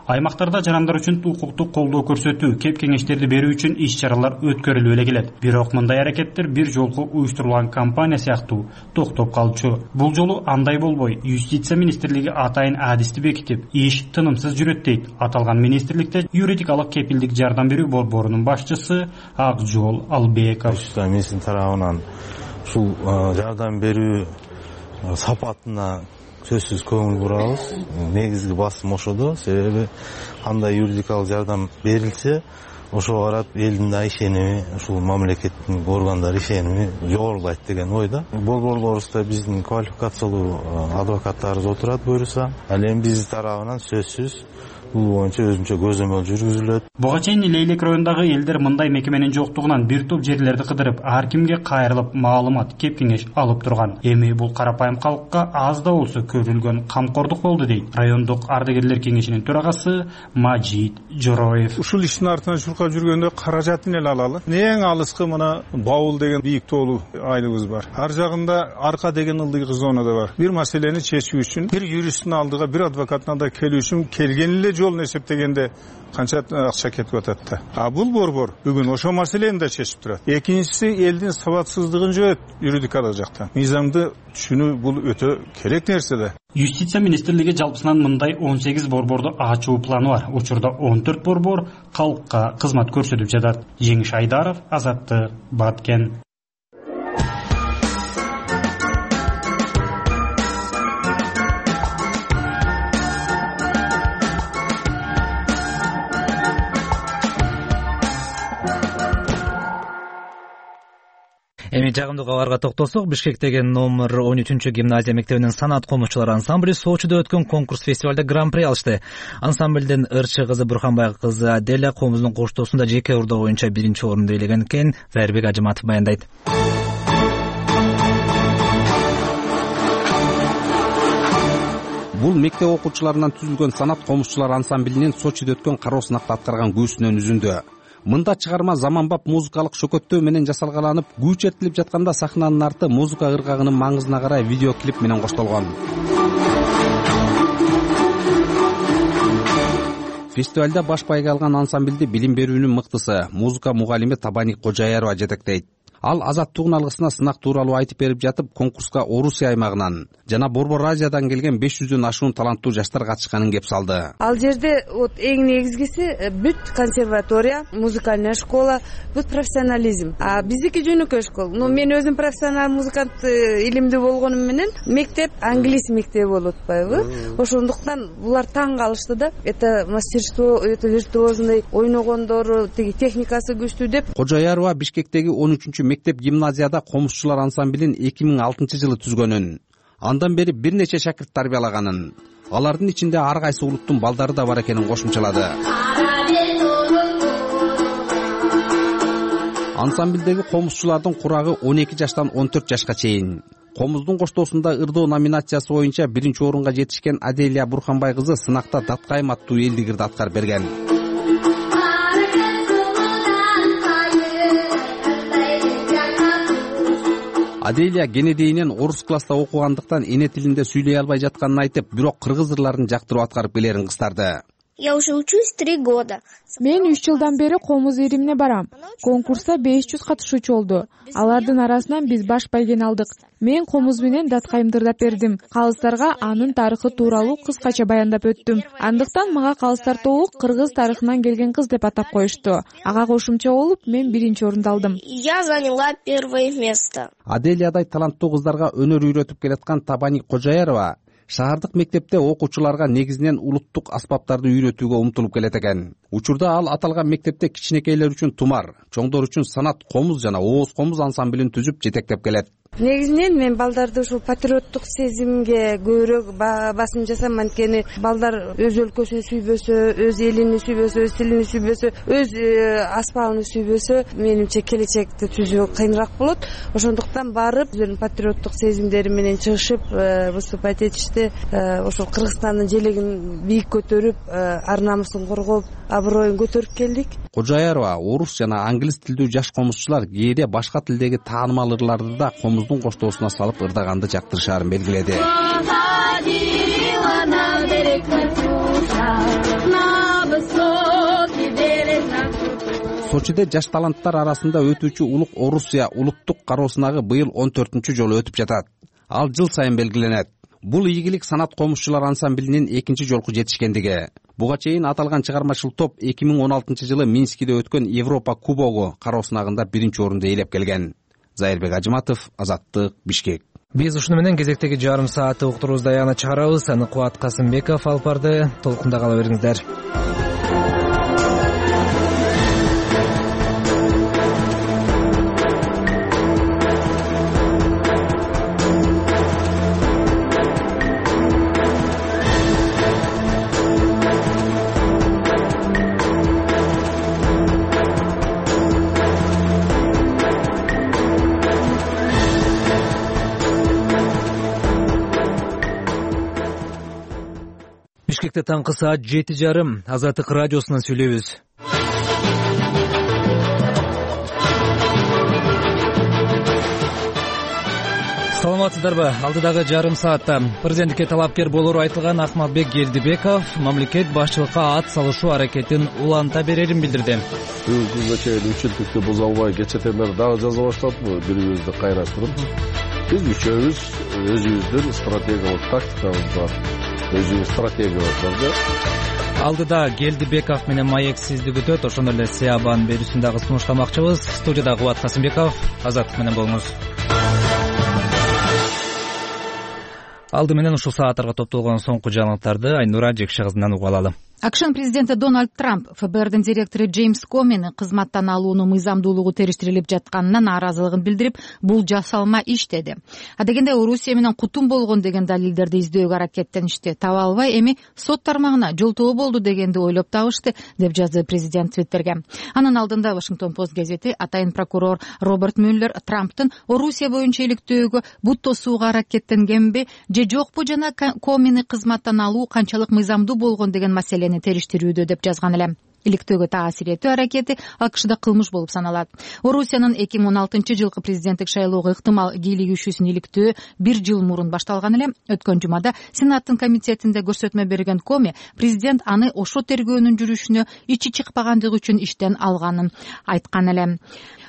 Аймактарда жарандар үчүн укуктук колдоо көрсөтүү, кеп кеңештерди берүү үчүн иш чаралар өткөрүлүп эле келет. Бирок мындай аракеттер бир жолку уюштурулган кампания сыяктуу токтоп калчу. Бул жолу андай болбой, Юстиция министрлиги атайын адисти бекитип, иш тынымсыз жүрөт дейт. Аталган министрликте юридикалык кепилдик жардам берүү борборунун башчысы Акжол Албеков. Министрлик тарабынан ушул жардам берүү сапатына сөзсүз көңүл бурабыз. Негизги басым ошодо, себеби кандай юридикалык жардам берилсе, ошого карап элдин да ишеними, ушул мамлекеттин органдары ишеними жогорулайт деген ойда. Борборлорубузда биздин квалификациялуу адвокаттарыбыз отурат буюрса, ал эми биз тарабынан сөзсүз бул боюнча өзүнчө көзөмөл жүргүзүлөт. Буга чейин Лейлек районундагы элдер мындай мекеменин жоктугунан бир топ жерлерди кыдырып, ар кимге кайрылып маалымат, кеп кеңеш алып турган. Эми бул карапайым калкка аз да болсо көрүлгөн камкордук болду дейт райондук ардагерлер кеңешинин төрагасы Мажит Жороев. Ушул иштин артынан чуркап жүргөндө каражатын эле алалы. Эң алыскы мына Баул деген бийик тоолуу айлыбыз бар. Ар жагында Арка деген ылдый зона да бар. Бир маселени чечүү үчүн бир юристтин алдыга, бир адвокаттын алдыга келүү үчүн келген эле жолун эсептегенде канча акча кетип атат да. А бул борбор бүгүн ошо маселени да чечип турат. Экинчиси элдин сабатсыздыгын жойот юридикалык жактан. Мыйзамды түшүнүү бул өтө керек нерсе да. Юстиция министрлиги жалпысынан мындай 18 борборду ачуу планы бар. Учурда 14 борбор калкка кызмат көрсөтүп жатат. Жеңиш Айдаров, Азаттык, Баткен. Эми жагымдуу кабарга токтолсок, Бишкектеги номер 13 гимназия мектебинин санат комузчулары ансамбли Сочиде өткөн конкурс фестивалда гран-при алышты. Ансамблдин ырчы кызы Бурханбай кызы Аделя комуздун коштоосунда жеке урдоо боюнча 1-орунду ээлеген экен. Зайырбек Ажыматов баяндайт. Бул мектеп окуучуларынан түзүлгөн санат комузчулар ансамблинин Сочиде өткөн кароо сынакта аткарган күбүсүнөн үзүндү. Мында чыгарма заманбап музыкалык шөкөттөө менен жасалгаланып, күү чертилип жатканда сахнанын арты музыка ыргагынын маңызына карай видеоклип менен коштолгон. Фестивалда баш байга алган ансамблди билим берүүнүн мыктысы, музыка мугалими Табани Кожаярова жетектейт. Ал азаттыгын алгысына сынак тууралуу айтып берип жатып, конкурска Орусия аймагынан жана Борбор Азиядан келген 500дөн ашуун таланттуу жаштар катышканын кеп салды. Ал жерде эң негизгиси бүт консерватория, музыкальная школа, бүт профессионализм. А биздики жөнөкөй школа. Но мен өзүм профессионал музыкант илимдүү болгонум менен мектеп англис мектеби болуп атпайбы? Ошондуктан булар таң калышты да. Это мастерство, это виртуозный ойногондору, техникасы күчтүү деп. Кожаярова Бишкектеги 13 мектеп гимназияда комузчулар ансамблин 2006-жылы түзгөнүн. Андан бери бир нече шакирт тарбиялаганын, алардын ичинде ар кайсы улуттун балдары да бар экенин кошумчалады. Ансамблдеги комузчулардын курагы 12 жаштан 14 жашка чейин. Комуздун коштоосунда ырдоо номинациясы боюнча 1-орунга жетишкен Аделия Бурханбай кызы сынакта Даткайым аттуу элдигирди аткарып берген. Аделия кенедейинен орус класста окугандыктан эне тилинде сүйлөй албай жатканын айтып, бирок кыргыз ырларын жактырып аткарып келерин кыстарды. Я уже учусь 3 года. Мен 3 жылдан бери комуз иримине барам. Конкурста 500 катышуучу болду. Алардын арасынан биз баш байгени алдык. Мен комуз менен Даткайымды ырдап бердим. Калыстарга анын тарыхы тууралуу кыскача баяндап өттүм. Андыктан мага калыстар тобу кыргыз тарыхынан келген кыз деп атап коюшту. Ага кошумча болуп, мен 1-орунду алдым. Я заняла 1 место. Аделиядай таланттуу кыздарга өнөр үйрөтүп келаткан Табани Кожаярова шаардык мектепте окуучуларга негизинен улуттук аспаптарды үйрөтүүгө умтулуп келет экен. Учурда ал аталган мектепте кичинекейлер үчүн тумар, чоңдор үчүн санат комуз жана ооз комуз ансамблин түзүп жетектеп келет. Негизинен мен балдарды ушул патриоттук сезимге көбүрөөк басым жасайм, анткени балдар өз өлкөсүн сүйбөсө, өз элин сүйбөсө, өз тилин сүйбөсө, өз аспабын сүйбөсө, менимче келечекти түзүү кыйыныраак болот. Ошондуктан барып, өзүнүн патриоттук сезимдери менен чыгышып, выступать этишти, ошол Кыргызстандын желегин бийик көтөрүп, ар намысын коргоп, аброюн көтөрүп келдик. Кожаярова орус жана англис тилдүү жаш комузчулар кээде башка тилдеги таанымал ырларды да комуздун коштоосуна салып ырдаганды жактырышаарын белгиледи. Сочиде жаш таланттар арасында өтүүчү улук Орусия улуттук кароо сынагы быйыл 14-чү жолу өтүп жатат. Ал жыл сайын белгиленет. Бул ийгилик санат комузчулар ансамблинин экинчи жолку жетишкендиги. Буга чейин аталган чыгармачыл топ 2016-жылы Минскиде өткөн Европа кубогу кароо сынагында биринчи орунду ээлеп келген. Зайырбек Ажыматов, Азаттык, Бишкек. Биз ушуну менен кезектеги жарым саатты уктуруубузду аягына чыгарабыз. Аны Кубат Касымбеков алып барды. Толкунда кала бериңиздер. Бишкекте таңкы саат 7:30. Азаттык радиосунан сүйлөйбүз. Саламатсыздарбы? Алдыдагы жарым саатта президенттикке талапкер болору айтылган Акмалбек Келдибеков мамлекет башчылыкка ат салышуу аракетин уланта берерин билдирди. Бүгүн күнгө чейин 3 жылдыкты буза албай кечетен бери дагы жаза баштадык, бирибизди кайраштырып. Биз үчөөбүз өзүбүздүн стратегиялык тактикабыз бар. Өзүбүз стратегиябыз бар. Алдыда Келдибеков менен маексиздик өтөт. Ошондой эле Сиабан берүүсүн дагы сунуштамакчыбыз. Студияда Кубат Касымбеков, Азаттык менен болуңуз. Алды менен ушул сааттарга топтолгон соңку жаңылыктарды Айнура Жекше кызынан угуп алалы. АКШнын президенти Дональд Трамп ФБРдин директору Джеймс Комени кызматтан алуунун мыйзамдуулугу териштирилип жатканына нааразылыгын билдирип, бул жасалма иш деди. Адегенде Орусия менен кутум болгон деген далилдерди издөөгө аракеттеништи. Таба албай эми сот тармагына жолтоо болду дегенди ойлоп табышты, деп жазды президент Твиттерге. Анын алдында Вашингтон Пост газети атайын прокурор Роберт Мюллер Трамптын Орусия боюнча иликтөөгө бут тосууга аракеттенгенби же жокпу жана Комени кызматтан алуу канчалык мыйзамдуу болгон деген маселени териштирүүдө деп жазган эле. Иликтөөгө таасир этүү аракети АКШда кылмыш болуп саналат. Орусиянын 2016-жылкы президенттик шайлоого ыктымал кийлигишүүсүн иликтөө 1 жыл мурун башталган эле. Өткөн жумада Сенаттын комитетинде көрсөтмө берген Коми президент аны ошо тергөөнүн жүрүшүнө ичи чыкпагандыгы үчүн иштен алганын айткан эле.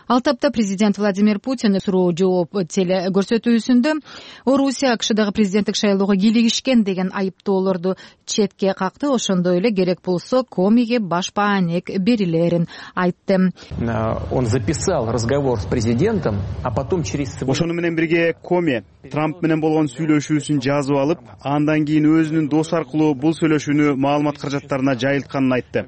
Ал тапта президент Владимир Путин суроо жооп теле-көрсөтүүсүндө Орусия АКШдагы президенттик шайлоого кийлигишкен деген айыптоолорду четке какты. Ошондой эле керек болсо Комиге баш баанек берилерин айтты. Он записал разговор с президентом, а потом через... Ошону менен бирге Коми Трамп менен болгон сүйлөшүүсүн жазып алып, андан кийин өзүнүн досу аркылуу бул сүйлөшүүнү маалымат каражаттарына жайылтканын айтты.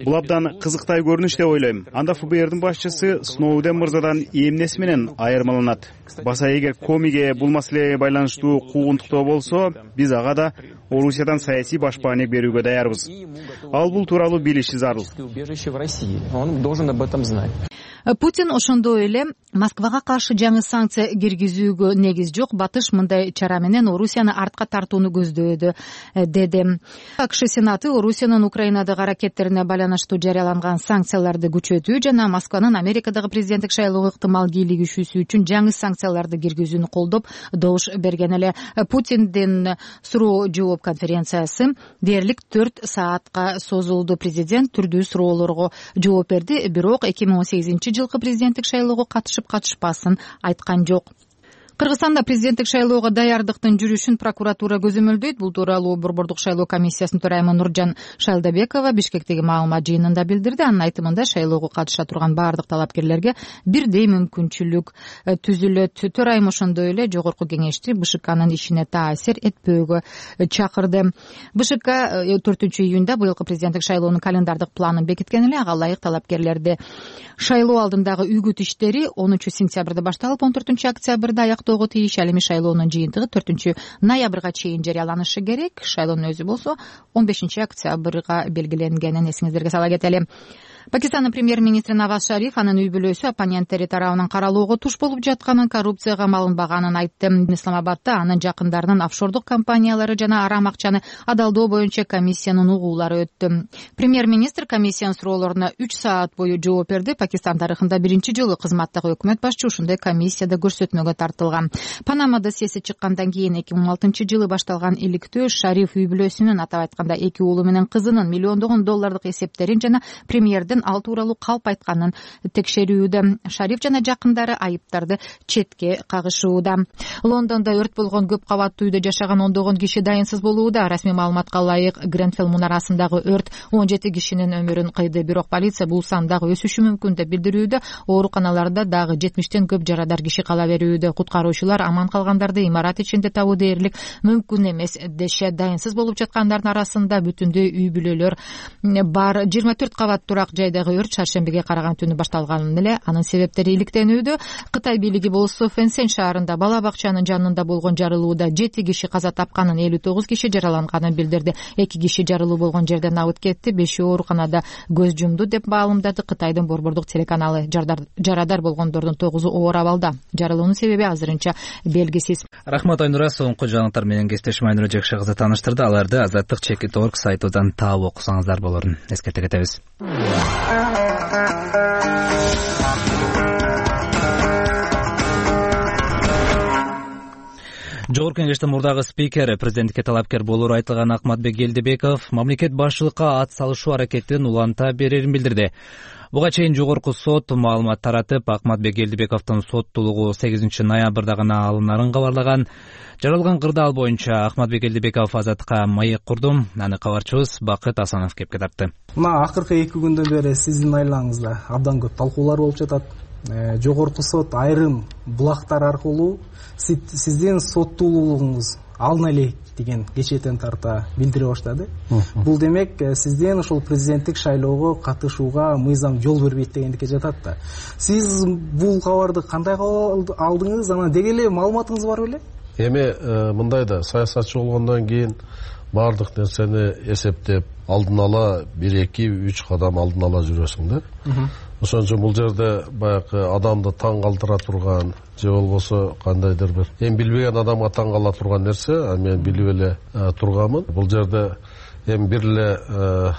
Бул абдан кызыктай көрүнүш деп ойлойм. Анда ФБРдин башчысы Сноуден мырзадан эмнеси менен айырмаланат? Баса эгер Комиге бул маселеге байланыштуу куугунтуктоо болсо, биз ага да Орусиядан саясий баш баанек берүүгө даярбыз. Ал бул тууралуу билиши зарыл. Он должен об этом знать. Путин ошондой эле Москвага каршы жаңы санкция киргизүүгө негиз жок, батыш мындай чара менен Орусияны артка тартууну көздөдү, деди. АКШ Сенаты Орусиянын Украинадагы аракеттерине байланыштуу жарыяланган санкцияларды күчөтүү жана Москванын Америкадагы президенттик шайлоого ыктымал кийлигишүүсү үчүн жаңы санкцияларды киргизүүнү колдоп добуш берген эле. Путиндин суроо жооп конференциясы дээрлик 4 саатка созулду. Президент түрдүү суроолорго жооп берди, бирок 2018-жылкы президенттик шайлоого катышып-катышпасын айткан жок. Кыргызстанда президенттик шайлоого даярдыктын жүрүшүн прокуратура көзөмөлдөйт. Бул тууралуу Борбордук шайлоо комиссиясынын төрайымы Нуржан Шайлдабекова Бишкектеги маалымат жыйынында билдирди. Анын айтымында шайлоого катыша турган баардык талапкерлерге бирдей мүмкүнчүлүк түзүлөт. Төрайым ошондой эле жогорку кеңешти БШКнын ишине таасир этпөөгө чакырды. БШК 4-июнда быйылкы президенттик шайлоонун календардык планын бекиткен эле. Ага ылайык талапкерлерди шайлоо алдындагы үгүт иштери 10-сентябрда башталып 14-октябрда аяктоого тийиш. Ал эми шайлоонун жыйынтыгы 4-ноябрга чейин жарыяланышы керек. Шайлоонун өзү болсо 15-октябрга белгиленгенин эсиңиздерге сала кетели. Пакистандын премьер-министри Наваз Шариф анын үй бүлөсү оппоненттери тарабынан каралоого туш болуп жатканын, коррупцияга малынбаганын айтты. Исламабадда анын жакындарынын офшордук компаниялары жана арам акчаны адалдоо боюнча комиссиянын угуулары өттү. Премьер-министр комиссиянын суроолоруна 3 саат бою жооп берди. Пакистан тарыхында биринчи жолу кызматтагы өкмөт башчы ушундай комиссияда көрсөтмөгө тартылган. Панама досьеси чыккандан кийин 2016-жылы башталган иликтөө Шариф үй бүлөсүнүн, атап айтканда 2 уулу менен кызынын миллиондогон доллардык эсептерин жана премьердин албеттердин ал тууралуу калп айтканын текшерүүдө. Шариф жана жакындары айыптарды четке кагышууда. Лондондо өрт болгон көп кабаттуу үйдө жашаган ондогон киши дайынсыз болууда. Расмий маалыматка ылайык, Гренфелл мунарасындагы өрт 17 кишинин өмүрүн кыйды. Бирок полиция бул сан дагы өсүшү мүмкүн деп билдирүүдө. Ооруканаларда дагы 70тен көп жарадар киши кала берүүдө. Куткаруучулар аман калгандарды имарат ичинде табуу дээрлик мүмкүн эмес дешет. Дайынсыз болуп жаткандардын арасында бүтүндөй үй бүлөлөр бар. 24 кабат турак жайдагы өрт шаршембиге караган түнү башталган эле. Анын себептери иликтенүүдө. Кытай бийлиги болсо Фэнсен шаарында бала бакчанын жанында болгон жарылууда 7 киши каза тапканын, 59 киши жараланганын билдирди. 2 киши жарылуу болгон жерден абыт кетти, 5 ооруканада көз жумду деп маалымдады Кытайдын борбордук телеканалы. Жарадар болгондордун 9-у оор абалда. Жарылуунун себеби азырынча белгисиз. Рахмат Айнура, соңку жаңылыктар менен кесиптешим Айнура Жекши кызы тааныштырды. Аларды azatlyk.org сайтынан таап окусаңыздар болорун эскерте кетебиз. Жогорку Кеңештин мурдагы спикери, президенттикке талапкер болору айтылган Акматбек Келдибеков мамлекет башчылыкка ат салышуу аракетин уланта берерин билдирди. Буга чейин жогорку сот маалымат таратып, Акматбек Келдибековдун соттуулугу 8 ноябрда гана алынарын кабарлаган. Жаралган кырдаал боюнча Акматбек Келдибеков азаттыкка маек курду. Аны кабарчыбыз Бакыт Асанов кепке тартты. Мына акыркы 2 күндөн бери сиздин айлаңызда абдан көп талкуулар болуп жатат. Жогорку сот айрым булактар аркылуу сиздин соттуулугуңуз алына элек деген кечетен тарта билдире баштады. Бул демек сиздин ошол президенттик шайлоого катышууга мыйзам жол бербейт дегендикке жатат да. Сиз бул кабарды кандай алдыңыз? Анан деги эле маалыматыңыз бар беле? Эми мындай да, саясатчы болгондон кийин баардык нерсени эсептеп, алдын ала 1-2-3 кадам алдын ала жүрөсүң да. Ошон үчүн бул жерде баягы адамды таң калтыра турган же болбосо кандайдыр бир эми билбеген адамга таң кала турган нерсе, мен билип эле турганмын. Бул жерде эми бир эле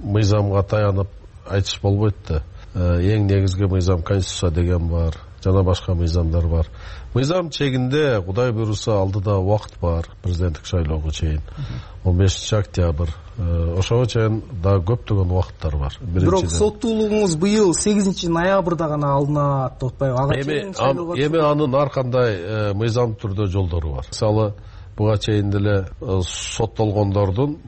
мыйзамга таянып айтыш болбойт да. Эң негизги мыйзам конституция деген бар, жана башка мыйзамдар бар. Мыйзам чегинде Кудай буйруса алдыда убакыт бар, президенттик шайлоого чейин 15 октябрь. Ошого чейин дагы көптөгөн убакыттар бар. Бирок соттуулугуңуз быйыл 8 ноябрда гана алынат деп атпайбы? Эми анын ар кандай мыйзам түрдө жолдору бар. Мисалы, буга чейин деле соттолгондордун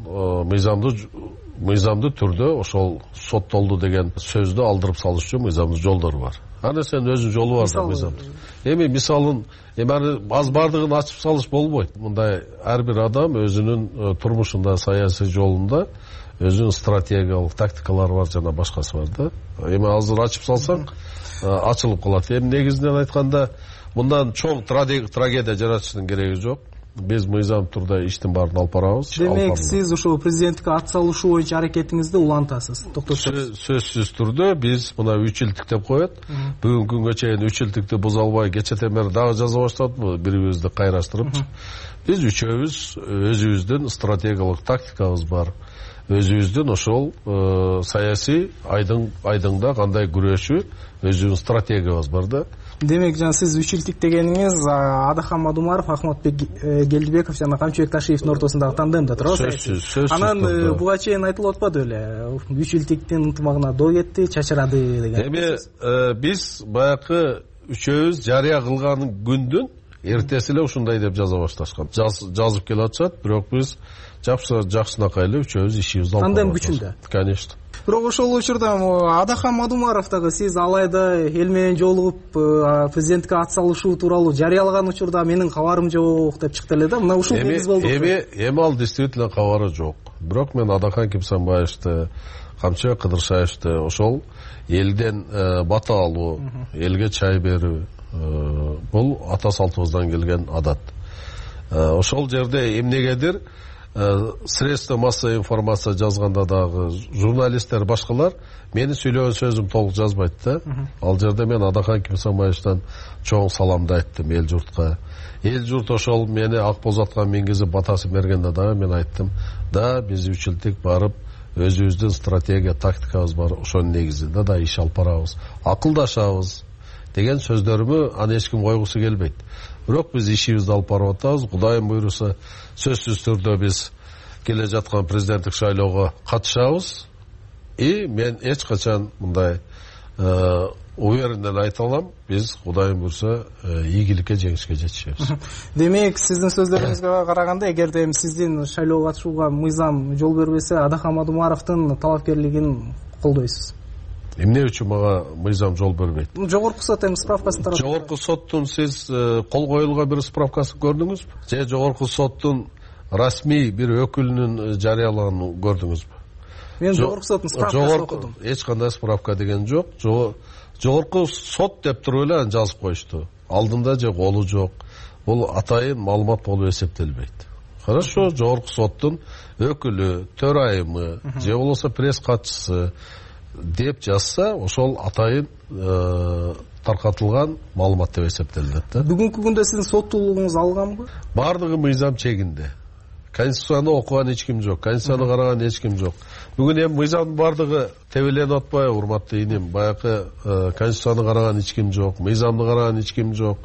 мыйзамдуу түрдө ошол соттолду деген сөздү алдырып салыш үчүн мыйзамдуу жолдору бар. Аны сен өзүнүн жолу бар да мыйзамдуу. Эми мисалын аз бардыгын ачып салыш болбойт. Мындай ар бир адам өзүнүн турмушунда, саясий жолунда өзүнүн стратегиялык тактикалары бар, жана башкасы бар да. Эми азыр ачып салсаң ачылып калат. Эми негизинен айтканда мындан чоң трагедия жаратыштын кереги жок. Биз мыйзам турда иштин баарын алып барабыз. Демек, сиз ошол президенттикке ат салышуу боюнча аракетиңизди улантасыз. Сөзсүз түрдө биз мына 3 жылдык деп коет. Бүгүнкү күнгө чейин 3 жылдыкты буза албай кечетен бери дагы жаза баштадык, бирибизди кайраштырып. Биз үчөөбүз өзүбүздүн стратегиялык тактикабыз бар. Өзүбүздүн ошол саясий айдыңда кандай күрөшүү өзүбүздүн стратегиябыз бар да. Демек, сиз 3 жылдык дегениңиз Адахан Мадумаров, Акматбек Келдибеков жана Камчыбек Ташиевдин ортосундагы тандемде турабы? Сөзсүз. Анан буга чейин айтылып атпады беле? 3 жылдыктын ынтымагына доо кетти, чачырады деген. Эми биз баягы үчөөбүз жарыя кылган күндүн эртеси эле ушундай деп жаза башташкан. Жазып келе атышат, бирок биз жакшынакай эле үчөөбүз ишибизди алып тандем күчүндө. Конечно. Бирок ошол учурда Адахан Мадумаров дагы сиз алайда эл менен жолугуп президенттикке ат салышуу тууралуу жарыялаган учурда менин кабарым жок деп чыкты эле да. Мына ушул негиз болду. Эми ал действительно кабары жок. Бирок мен Адахан Кимсанбаевди, Камчыбек Кыдыршаевди ошол элден бата алуу, элге чай берүү, бул ата салтыбыздан келген адат. Ошол жерде эмнегедир средства массовой информация жазганда дагы журналисттер башкалар мени сүйлөгөн сөзүм толук жазбайт да. Ал жерде мен Адахан Кимсанбаевден чоң саламды айттым эл журтка. Эл журт ошол мени ак боз атка мингизип батасын бергенде дагы мен айттым да, биз 3 жылдык барып өзүбүздүн стратегия тактикабыз бар, ошонун негизинде да иш алып барабыз, акылдашабыз деген сөздөрүмө аны эч ким койгусу келбейт. Бирок биз ишибизди алып барып атабыз. Кудайым буйруса сөзсүз түрдө биз келе жаткан президенттик шайлоого катышабыз. И мен эч качан мындай увереннен айта алам, биз Кудайым буйрса ийгиликке, жеңишке жетишебиз. Демек, сиздин сөздөрүңүзгө караганда, эгерде эми сиздин шайлоого катышууга мыйзам жол бербесе, Адахам Адумаровдун талапкерлигин колдойсуз. Эмне үчүн мага мыйзам жол бербейт? Жогорку сот эми справкасын таратты. Жогорку соттун сиз кол коюлган бир справкасын көрдүңүзбү? Же жогорку соттун расмий бир өкүлүнүн жарыялаганын көрдүңүзбү? Мен жогорку соттун справкасын окудум. Эч кандай справка деген жок. Жогорку сот деп туруп эле жазып коюшту. Алдында же колу жок. Бул атайын маалымат болуп эсептелбейт. Хорошо, жогорку соттун өкүлү, төрайымы же болбосо пресс катчысы деп жазса, ошол атайын таркатылган маалымат деп эсептелет да. Бүгүнкү күндө сиздин соттуулугуңуз алганбы? Бардыгы мыйзам чегинде. Конституцияны окуган эч ким жок, конституцияны караган эч ким жок. Бүгүн эми мыйзамдын бардыгы тебеленип атпайбы, урматтуу иним? Баягы конституцияны караган эч ким жок, мыйзамды караган эч ким жок.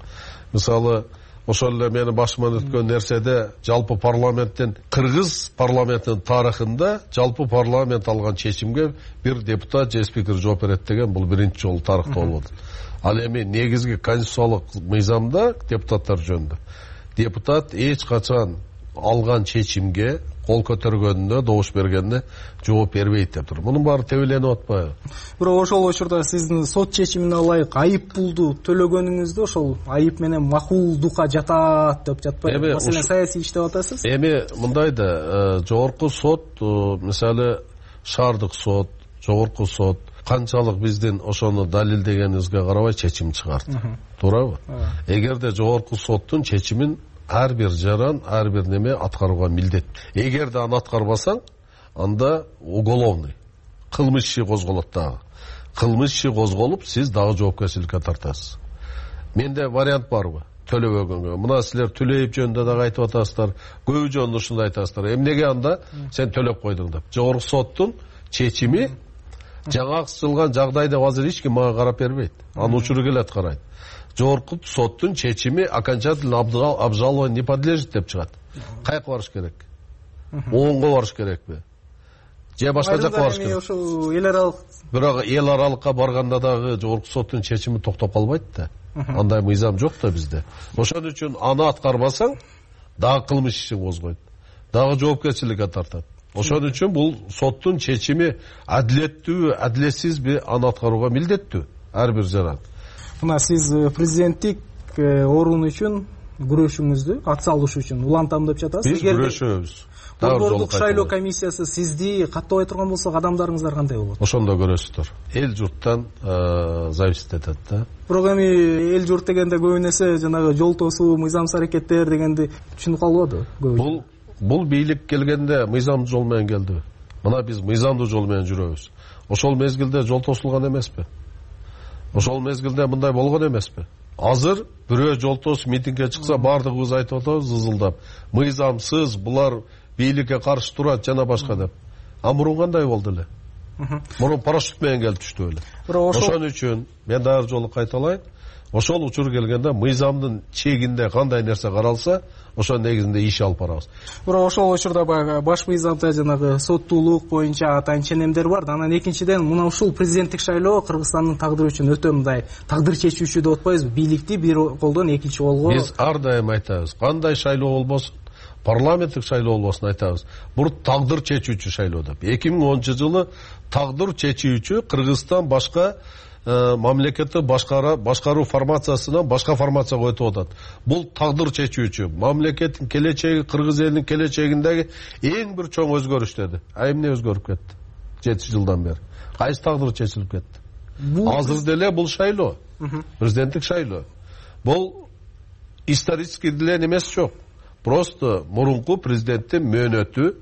Мисалы, ошол эле менин башыман өткөн нерседе жалпы парламенттин, кыргыз парламентинин тарыхында жалпы парламент алган чечимге бир депутат же спикер жооп берет деген бул биринчи жолу тарыхта болот. Ал эми негизги конституциялык мыйзамда депутаттар жөнүндө депутат эч качан алган чечимге кол көтөргөнүнө, добуш бергенине жооп бербейт деп тур. Мунун баары тебеленип атпайбы? Бирок ошол учурда сиздин сот чечимине ылайык айып пулду төлөгөнүңүздө ошол айып менен макулдукка жатат деп жатпайбы? Маселен, саясий иштеп атасыз? Эми мындай да, жогорку сот, мисалы шаардык сот, жогорку сот канчалык биздин ошону далилдегенибизге карабай чечим чыгарды. Туурабы? Эгерде жогорку соттун чечимин ар бир жаран, ар бир неме аткарууга милдет. Эгерде аны аткарбасаң, анда уголовный кылмыш иши козголот дагы. Кылмыш иши козголуп, сиз дагы жоопкерчиликке тартасыз. Менде вариант барбы? Төлөбөгөнгө. Мына силер төлөйүп жөнүндө дагы айтып атасыздар. Көбү жөнүндө ушундай айтасыздар. Эмнеге анда сен төлөп койдуң деп. Жогорку соттун чечими жаңаксылган жагдайда азыр эч ким мага карап бербейт. Анын учуру келет карайт. Жогорку соттун чечими окончательно обжалованию не подлежит деп чыгат. Каяка барыш керек? Оңго барыш керекпи? Же башка жакка барыш керек? Ошол эл аралык. Бирок эл аралыкка барганда дагы жогорку соттун чечими токтоп калбайт да. Андай мыйзам жок да бизде. Ошон үчүн аны аткарбасаң, дагы кылмыш иши козгойт. Дагы жоопкерчиликке тартат. Ошон үчүн бул соттун чечими адилеттүүбү, адилетсизби, аны аткарууга милдеттүү ар бир жаран. Мына сиз президенттик орун үчүн күрөшүңүздү ат салыш үчүн улантам деп жатасыз. Биз күрөшөбүз. Борбордук шайлоо комиссиясы сизди каттабай турган болсо, адамдарыңыздар кандай болот? Ошондо көрөсүздөр. Эл журттан зависит этет да. Бирок эми эл журт дегенде көбүн эсе жанагы жол тосуу, мыйзамсыз аракеттер дегенди түшүнүп калбады. Бул бийлик келгенде мыйзамдуу жол менен келди. Мына биз мыйзамдуу жол менен жүрөбүз. Ошол мезгилде жол тосулган эмеспи? Ошол мезгилде мындай болгон эмеспи? Азыр бирөө жол тосуп митингге чыкса, бардыгыбыз айтып атабыз ызылдап. Мыйзамсыз, булар бийликке каршы турат жана башка деп. А мурун кандай болду эле? Мурун парашют менен келип түштү эле. Ошон үчүн мен дагы жолу кайталайын. Ошол учур келгенде мыйзамдын чегинде кандай нерсе каралса, ошол негизинде иш алып барабыз. Бирок ошол учурда баягы баш мыйзамда жанагы соттуулук боюнча атайын ченемдер бар. Анан экинчиден мына ушул президенттик шайлоо Кыргызстандын тагдыры үчүн өтө мындай тагдыр чечүүчү деп атпайбызбы? Бийликти бир колдон экинчи колго. Биз ар дайым айтабыз, кандай шайлоо болбосун, парламенттик шайлоо болбосун айтабыз. Бул тагдыр чечүүчү шайлоо деп. 2010-жылы тагдыр чечүүчү Кыргызстан башка мамлекетти башкаруу формациясынан башка формацияга өтүп атат. Бул тагдыр чечүүчү мамлекеттин келечеги, кыргыз элинин келечегиндеги эң бир чоң өзгөрүш деди. Эмне өзгөрүп кетти? 7 жылдан бери. Кайсы тагдыр чечилип кетти? Азыр деле бул шайлоо. Президенттик шайлоо. Бул исторический деле эмес жок. Просто мурунку президенттин мөөнөтү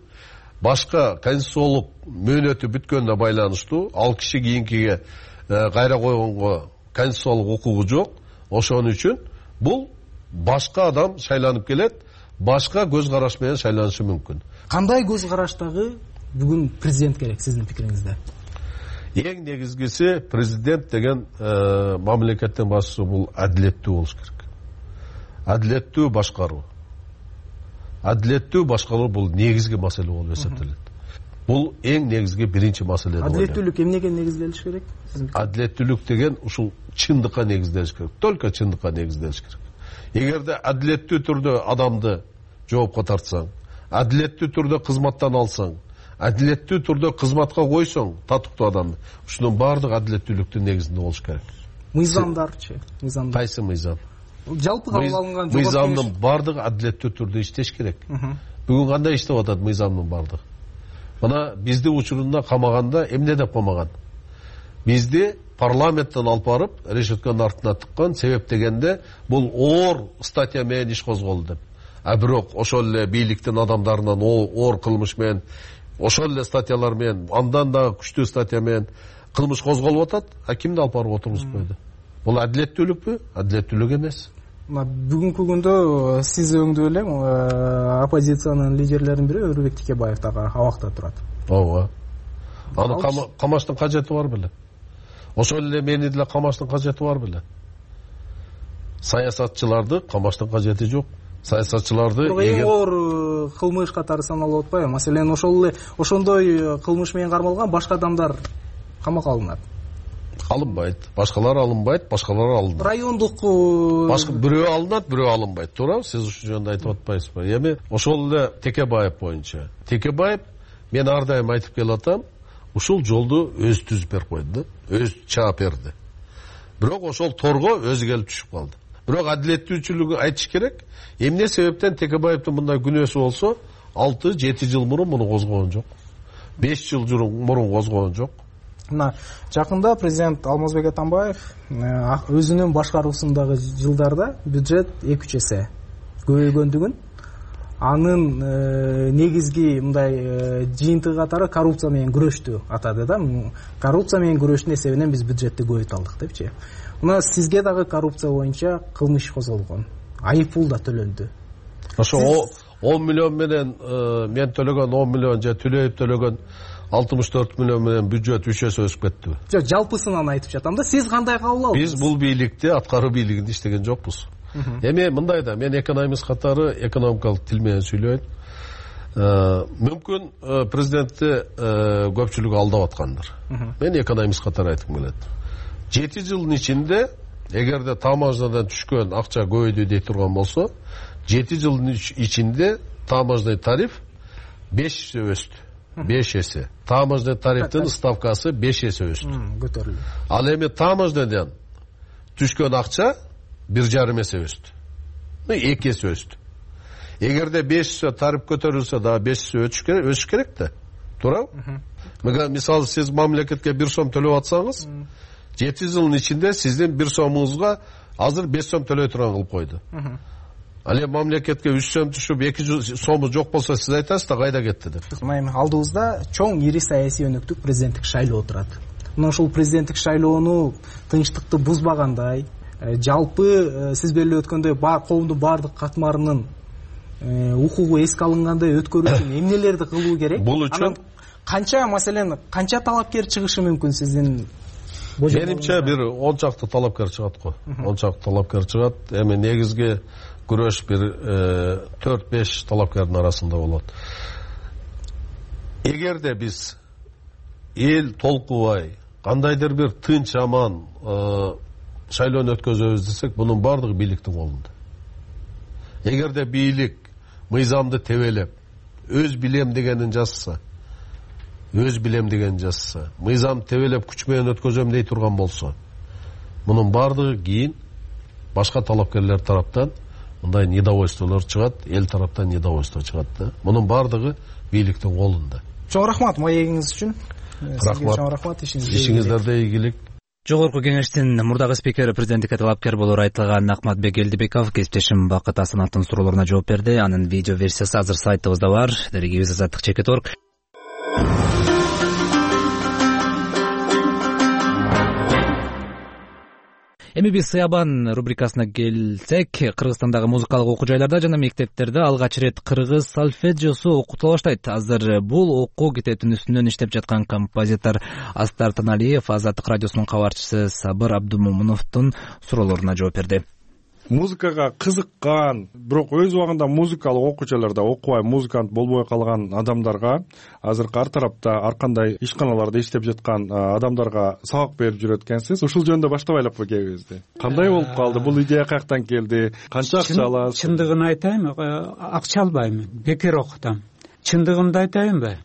башка конституциялык мөөнөтү бүткөнүнө байланыштуу. Ал киши кийинкиге кайра койгонго конституциялык укугу жок. Ошон үчүн бул башка адам шайланып келет, башка көз караш менен шайланышы мүмкүн. Кандай көз караштагы бүгүн президент керек сиздин пикириңизде? Эң негизгиси президент деген мамлекеттин башчысы бул адилеттүү болуш керек. Адилеттүү башкаруу. Адилеттүү башкаруу бул негизги маселе болуп эсептелет. бул эң негизги биринчи маселе. Адилеттүүлүк эмнеге негизделиш керек? Адилеттүүлүк деген ушул чындыкка негизделиш керек. Только чындыкка негизделиш керек. Эгерде адилеттүү түрдө адамды жоопко тартсаң, адилеттүү түрдө кызматтан алсаң, адилеттүү түрдө кызматка койсоң татыктуу адамды, ушунун баардыгы адилеттүүлүктүн негизинде болуш керек. Мыйзамдарчы? Кайсы мыйзам? Жалпы кабыл алынган мыйзамдын баардыгы адилеттүү түрдө иштеш керек. Бүгүн кандай иштеп атат мыйзамдын баардыгы? Мына бизди учурунда камаганда эмне деп камаган? Бизди парламенттен алып барып, решетканын артына тыккан, себеп дегенде бул оор статья менен иш козголду деп. А бирок ошол эле бийликтин адамдарынан оор кылмыш менен, ошол эле статьялар менен, андан да күчтүү статья менен кылмыш козголуп атат, а кимди алып барып отургузуп койду? Бул адилеттүүлүкпү? Адилеттүүлүк эмес. Бүгүнкү күндө сиз өңдүү эле оппозициянын лидерлеринин бири Өрүбек Текебаев дагы абакта турат. Ооба. Аны камаштын кажети бар беле? Ошол эле мени деле камаштын кажети бар беле? Саясатчыларды камаштын кажети жок. Саясатчыларды эң оор кылмыш катары саналып атпайбы? Маселен ошол эле ошондой кылмыш менен кармалган башка адамдар камакка алынат. Алынбайт. Башкалар алынбайт, башкалар алынат. Райондук башка бирөө алынат, бирөө алынбайт. Туура? Сиз ушул жөнүндө айтып атпайсызбы? Эми ошол эле Текебаев боюнча. Текебаев мен ар дайым айтып келатам, ушул жолду өзү түзүп берип койду, өзү чаап берди. Бирок ошол торго өзү келип түшүп калды. Бирок адилеттүүлүгү айтыш керек. Эмне себептен Текебаевдин мындай күнөөсү болсо, 6-7 жыл мурун муну козгогон жок. 5 жыл мурун козгогон жок. Мына жакында президент Алмазбек Атамбаев өзүнүн башкаруусундагы жылдарда бюджет 2-3 эсе көбөйгөндүгүн, анын негизги мындай жыйынтыгы катары коррупция менен күрөштү атады да. Коррупция менен күрөштүн эсебинен биз бюджетти көбөйтө алдык депчи. Мына сизге дагы коррупция боюнча кылмыш козголгон, айып пул да төлөндү. Ошо 10 миллион менен мен төлөгөн 10 миллион же Төлөев төлөгөн 64 миллион менен бюджет 3 эсе өсүп кетти. Жок, жалпысынан айтып жатам да. Сиз кандай кабыл алдыңыз? Биз бул бийликте аткаруу бийлигинде иштеген жокпуз. Эми мындай да, мен экономист катары экономикалык тил менен сүйлөйм. Мүмкүн президентти көпчүлүк алдап аткандыр. Мен экономист катары айткым келет. 7 жылдын ичинде эгерде таможнядан түшкөн акча көбөйдү дей турган болсо, 7 жылдын ичинде таможный тариф 5 эсе өстү. 5 эсе. Таможный тарифтин ставкасы 5 эсе өстү. Көтөрүлдү. Ал эми таможнядан түшкөн акча 1,5 эсе өстү. 2 эсе өстү. Эгерде 5 эсе тариф көтөрүлсө да 5 эсе өсүш керек да. Туурабы? Мисалы сиз мамлекетке 1 сом төлөп атсаңыз, 7 жылдын ичинде сиздин 1 сомуңузга азыр 5 сом төлөй турган кылып койду. Ал эми мамлекетке 3 сом түшүп 2 сому жок болсо сиз айтасыз да кайда кетти деп. Мына алдыбызда чоң ири саясий өнөктүк президенттик шайлоо турат. Мына ушул президенттик шайлоону тынчтыкты бузбагандай, жалпы сиз белгилеп өткөндөй коомдун баардык катмарынын укугу эске алынгандай өткөрүү үчүн эмнелерди кылуу керек? Бул үчүн канча, маселен, канча талапкер чыгышы мүмкүн сиздин? Менимче бир 10 чакты талапкер чыгат го. 10 чакты талапкер чыгат. Эми негизги күрөш бир 4-5 талапкердин арасында болот. Эгерде биз эл толкубай, кандайдыр бир тынч аман шайлоону өткөзөбүз десек, бунун баардыгы бийликтин колунда. Эгерде бийлик мыйзамды тебелеп, өз билем дегенин жазса, мыйзам тебелеп күч менен өткөзөм дей турган болсо, мунун баардыгы кийин башка талапкерлер тараптан мындай недовольстволор чыгат, эл тараптан недовольство чыгат да. Мунун баардыгы бийликтин колунда. Чоң рахмат маегиңиз үчүн. Рахмат. Чоң рахмат, ишиңиздерде ийгилик. Жогорку кеңештин мурдагы спикери президенттикке талапкер болууга айтылган Акматбек Элдибеков кесиптешим Бакыт Асановдун суроолоруна жооп берди. Анын видео версиясы азыр сайтыбызда бар. Дарегибиз Азаттык.org. Эми биз Сыябан рубрикасына келсек, Кыргызстандагы музыкалык окуу жайларда жана мектептерде алгач рет кыргыз сольфеджиосу окутула баштайт. Азыр бул окуу китептин үстүнөн иштеп жаткан композитор Астар Таналиев Азаттык радиосунун кабарчысы Сабыр Абдумомуновдун суроолоруна жооп берди. музыкага кызыккан, бирок өз убагында музыкалык окуучулар да окубай музыкант болбой калган адамдарга, азыркы ар тарапта ар кандай ишканаларда иштеп жаткан адамдарга сабак берип жүрөт экенсиз. Ушул жөнүндө баштап айлаппы кебизди? Кандай болуп калды? Бул идея каяктан келди? Канча акча аласыз? Чындыгын айтайынбы, акча албайм, бекер окутам. Чындыгымды айтайынбы?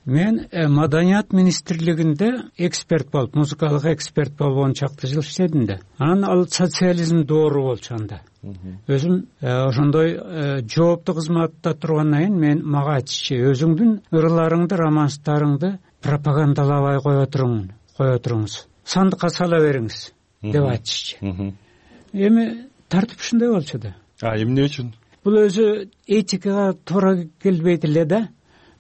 Мен Маданият министрлигинде эксперт болуп, музыкалык эксперт болуп 10 чакты жыл иштедим да. Анан ал социализм доору болчу анда. Өзүм ошондой жооптуу кызматта тургандан кийин мен мага айтышчы, өзүңдүн ырларыңды, романстарыңды пропагандалабай кое туруңуз. Сандыкка сала бериңиз деп айтышчы. Эми тартип ушундай болчу да. Эмне үчүн? Бул өзү этикага туура келбейт эле да.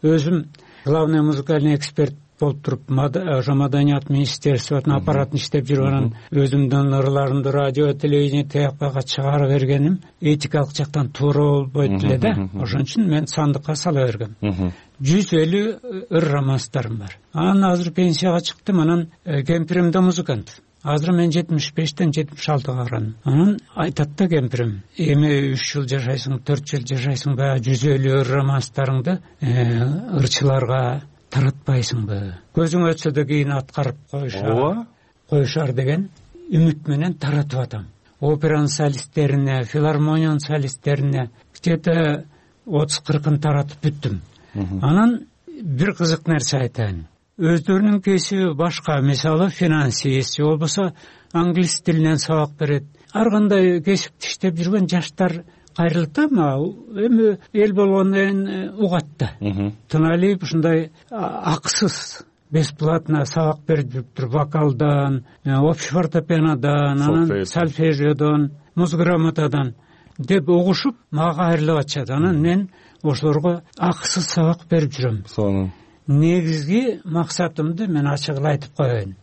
Өзүм главный музыкальный эксперт болуп туруп, Маданият министерствонун аппаратын иштеп жүрүп, анан өзүмдүн ырларымды радио, телевидение тияпкага чыгарып бергеним этикалык жактан туура болбойт эле да. Ошон үчүн мен сандыкка сала бергем. 150 ыр романстарым бар. Анан азыр пенсияга чыктым, анан кемпирим да музыкант. Азыр мен 75-тен 76-га барам. Анан айтат да кемпирим, эми 3 жыл жашайсың, 4 жыл жашайсың, баягы 150 романстарыңды ырчыларга таратпайсыңбы? Көзүң өтсө да кийин аткарып коюшар деген үмүт менен таратып атам. Операнын солисттерине, филармониянын солисттерине где-то 30-40 таратып бүттүм. Анан бир кызык нерсе айтайын. Өздөрүнүн кесиби башка, мисалы финансист, болбосо англис тилинен сабак берет. Ар кандай кесипти иштеп жүргөн жаштар кайрылат да, эми эл болгондон кийин угат да. Тыналип ушундай акысыз, бесплатно сабак берип жүрүптүр, вокалдан, общефортепианодан, анан сольфежиодон, музграмотадан деп угушуп мага кайрылып атышат. Анан мен ошолорго акысыз сабак берип жүрөм. Негизги максатымды мен ачыгын айтып коеюн.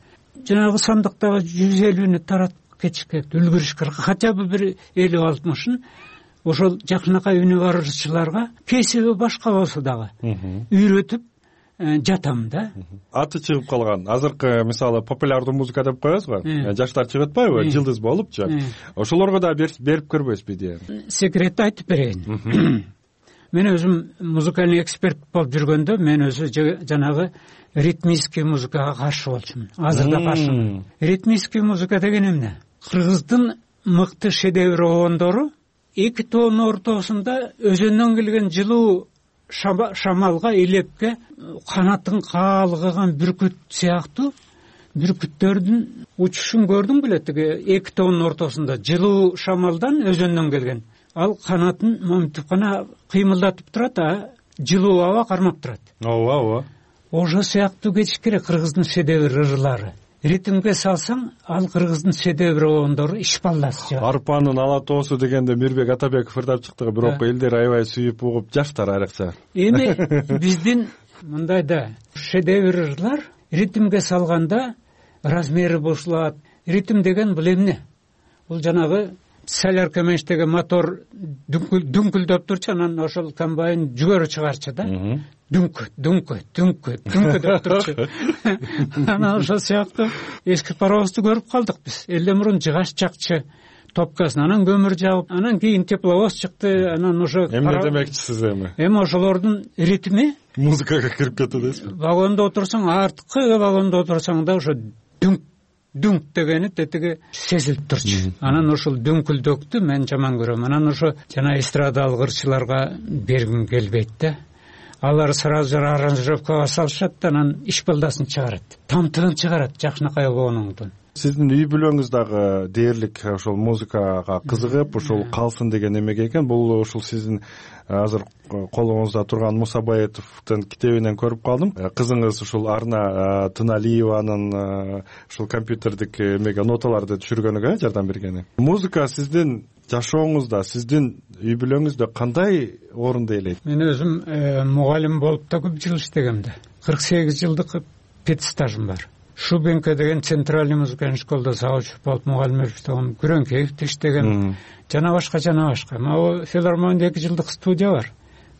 Жанагы сандыктагы 150-ни таратып кетишке үлгүрүш керек. Хотя бы бир 50-60-ын ошол жакынакай үнү бар ырчыларга кесиби башка болсо дагы үйрөтүп жатам да. Аты чыгып калган. Азыркы мисалы популярдуу музыка деп коебуз го. Жаштар чыгып атпайбы? Жылдыз болупчу. Ошолорго да берип көрбөйсүзбү идеяны? Секретти айтып берейин. Мен өзүм музыкальный эксперт болуп жүргөндө мен өзү жанагы ритмический музыкага каршы болчумун. Азыр да каршымын. Ритмический музыка деген эмне? Кыргыздын мыкты шедевр оондору эки тоонун ортосунда өзөндөн келген жылуу шамалга, элепке канатын каалгыган бүркүт сыяктуу бүркүттөрдүн учушун көрдүң беле? Тиги эки тоонун ортосунда жылуу шамалдан өзөндөн келген. Ал канатын момтуп гана кыймылдатып турат, жылуу аба кармап турат. Ооба. Ошо сыяктуу кетиш керек кыргыздын шедевр ырлары. Ритмге салсаң, ал кыргыздын шедевр оондору ишпалдас. Арпанын ала тоосу дегенде Мирбек Атабеков ырдап чыкты, бирок элдер аябай сүйүп угуп жаштар айрыкча. Эми биздин мындай да шедевр ырлар ритмге салганда размери бошулат. Ритм деген бул эмне? Бул жанагы солярка менен иштеген мотор дүңкүлдөп турчу, анан ошол комбайн жүгөрү чыгарчу да. Дүңкү деп турчу. Анан ошол сыяктуу эски паровозду көрүп калдык биз. Элден мурун жыгач жакчы топкасын, анан көмүр жагып, анан кийин тепловоз чыкты, анан ошо эмне демекчисиз эми? Эми ошолордун ритми музыкага кирип кетет эмеспи? Вагондо отурсаң, арткы вагондо отурсаң да ошо дүңк дегени тетиги сезилип турчу. Анан ошол дүңкүлдөктү мен жаман көрөм. Анан ошо жана эстрадалык ырчыларга бергим келбейт да. Алар сразу аранжировкага салышат, анан ишпалдасын чыгарат, тамтыгын чыгарат жакшынакай обоонуңдун. Сиздин үй бүлөңүз дагы дээрлик ошол музыкага кызыгып, ошол калсын деген эмеге экен. Бул ушул сиздин азыр колуңузда турган Мусабаевдин китебинен көрүп калдым. Кызыңыз ушул Арна Тыналиеванын ушул компьютердик эмеге ноталарды түшүргөнүгө жардам бергени. Музыка сиздин жашооңузда, сиздин үй бүлөңүздө кандай орунду ээлейт? Мен өзүм мугалим болуп да көп жыл иштегем да. 48 жылдык педстажым бар. Шубенко деген центральный музыкальный школда завуч болуп мугалим болуп иштегем, Күрөңкеевде иштегем, жана башка. Могу филармонияда 2 жылдык студия бар.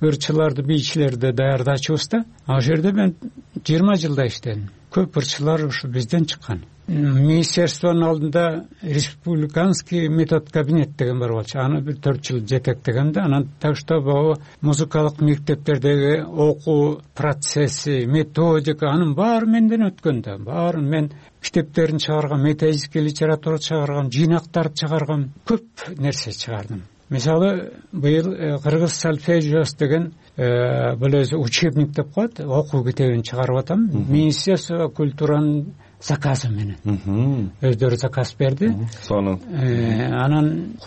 ырчыларды, бийчилерди даярдачубуз да. Ал жерде мен 20 жылда иштедим. Көп ырчылар ушу бизден чыккан. Министерствонун алдында республиканский метод кабинет деген бар болчу. Аны бир 4 жыл жетектегем да. Анан так что бул музыкалык мектептердеги окуу процесси, методика анын баары менден өткөн да. Баарын мен китептерин чыгаргам, методический литература чыгаргам, жыйнактарды чыгаргам, көп нерсе чыгардым. Мисалы, быйыл кыргыз сольфеджиос деген бул өзү учебник деп коет, окуу китебин чыгарып атам. Министерство культуранын заказы менен. Өздөрү заказ берди. Сонун. Анан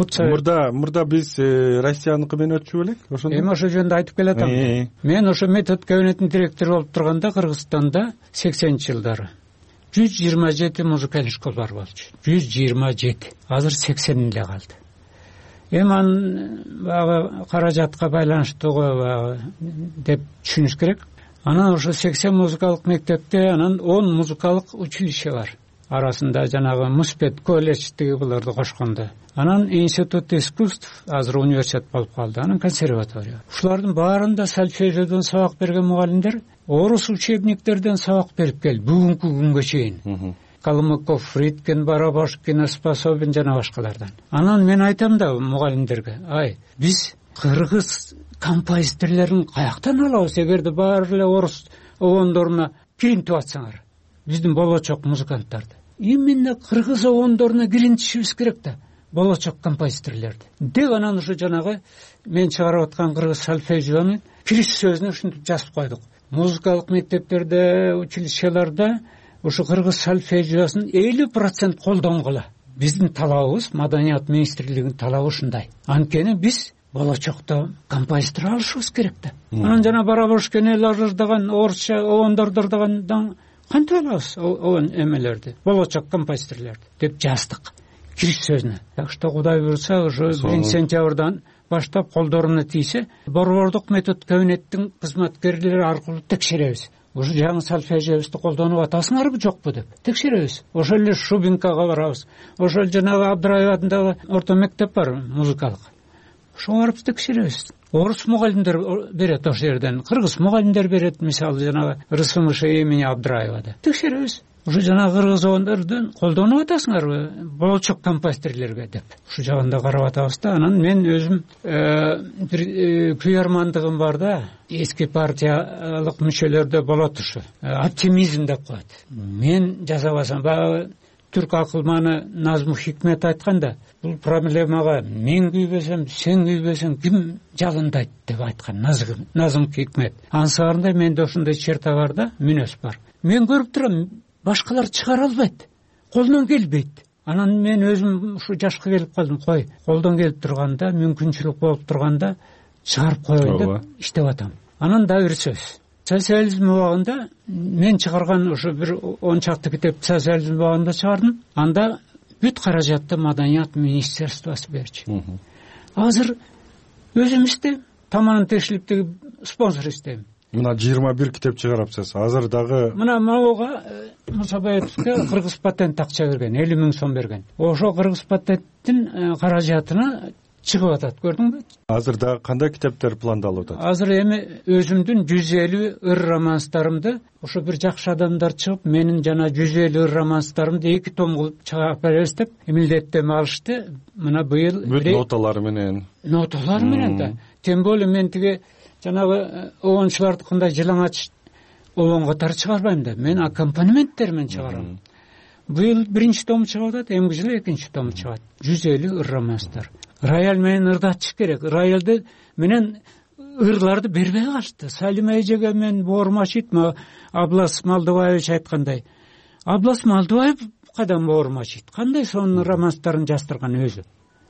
мурда биз Россияныкы менен өтчү белек? Ошондо. Эми ошол жөнүндө айтып келатам. Мен ошо метод кабинетинин директору болуп турганда Кыргызстанда 80-жылдары 127 музыкалдык школалар болчу. 127. Азыр 80 эле калды. Эми анын баягы каражатка байланыштуу го деп түшүнүш керек. Анан ошо 80 музыкалык мектепте анан 10 музыкалык училище бар. Арасында жанагы Муспет колледждеги буларды кошкондо. Анан институт искусств, азыр университет болуп калды. Анан консерватория. Ушулардын баарында сольфеджиодон сабак берген мугалимдер орус учебниктерден сабак берип келди бүгүнкү күнгө чейин. Калмыков, Фридкен, Барабашкин, Способин жана башкалардан. Анан мен айтам да мугалимдерге, биз кыргыз композиторлорун каяктан алабыз, эгерде баары эле орус обондоруна киринтип атсаңар, биздин болочок музыканттарды. Именно кыргыз обондоруна киринтишибиз керек да, болочок композиторлорду. Деп анан ушу жанагы мен чыгарып аткан кыргыз сольфеджионун кириш сөзүнө ушинтип жазып койдук. Музыкалык мектептерде, училищеларда ушу кыргыз сольфеджиосун 50% колдонгула. Биздин талабыбыз, Маданият министрлигинин талабы ушундай. Анткени биз болочокто композитор алышыбыз керек да. Анан жана Барабашкин эл ажырдаган орусча обондордурдагандан кантип алабыз обон эмелерди, болочок композиторлорду деп жаздык кириш сөзүнө. Так что Кудай буйрса, ушу 1-сентябрдан баштап колдоруна тийсе, борбордук метод кабинеттин кызматкерлери аркылуу текшеребиз. Ушу жаңы сольфеджиобузду колдонуп атасыңарбы жокпу деп текшеребиз. Ошол эле Шубинкага барабыз. Ошол жанагы Абдыраев атындагы орто мектеп бар музыкалык. Ошого барып текшеребиз. Орус мугалимдер берет ошол жерден, кыргыз мугалимдер берет, мисалы жанагы РСМШ имени Абдыраевада. Текшеребиз. Ушу жанагы кыргыз обондордун колдонуп атасыңарбы болочок композиторлорго деп. Ушу жагында карап атабыз да. Анан мен өзүм бир күйөрмандыгым бар да. Эски партиялык мүчөлөрдө болот ушу. Оптимизм деп коет. Мен жасабасам, баягы түрк акылманы Назму Хикмет айтканда, бул проблемага мен күйбөсөм, сен күйбөсөң ким жалындайт деп айткан Назым Хикмет. Ансаарында менде ошондой черта бар да, мүнөз бар. Мен көрүп турам, башкалар чыгара албайт, колдон келбейт. Анан мен өзүм ушу жашка келип калдым, колдон келип турганда, мүмкүнчүлүк болуп турганда чыгарып коеюн деп иштеп атам. Анан да бир сөз. Социализм убагында мен чыгарган ушу бир 10 чакты китеп социализм убагында чыгардым. Анда бүт каражатты Маданият министерствосу берчү. Азыр өзүм иштейм, таманын текшилиптеги спонсор иштейм. Мына 21 китеп чыгарапсыз. Азыр дагы мына могуга Мусабаевке кыргыз патент акча берген, 50 000 сом берген. Ошо кыргыз патенттин каражатына чыгып атат, көрдүңбү? Азыр дагы кандай китептер пландалып атат? Азыр эми өзүмдүн 150 ыр романстарымды ошо бир жакшы адамдар чыгып, менин жана 150 ыр романстарымды 2 том кылып чыгарып беребиз деп милдеттенме алышты. Мына быйыл ноталар менен. Ноталар менен да. Тем более мен тиги жанагы обончулардыкындай жылаңач обон катары чыгарбайм да. Мен аккомпанементтер менен чыгарам. Быйыл 1-чи том чыгып атат, эмки жылы 2-чи том чыгат. 150 ыр романстар. Рояль менен ырдатыш керек. Роялды менен ырларды бербей калышты. Салима эжеге мен боормачыйт, Аблас Малдыбаевич айткандай. Аблас Малдыбаев кадан боормачыйт? Кандай сонун романстарын жаздырган өзү?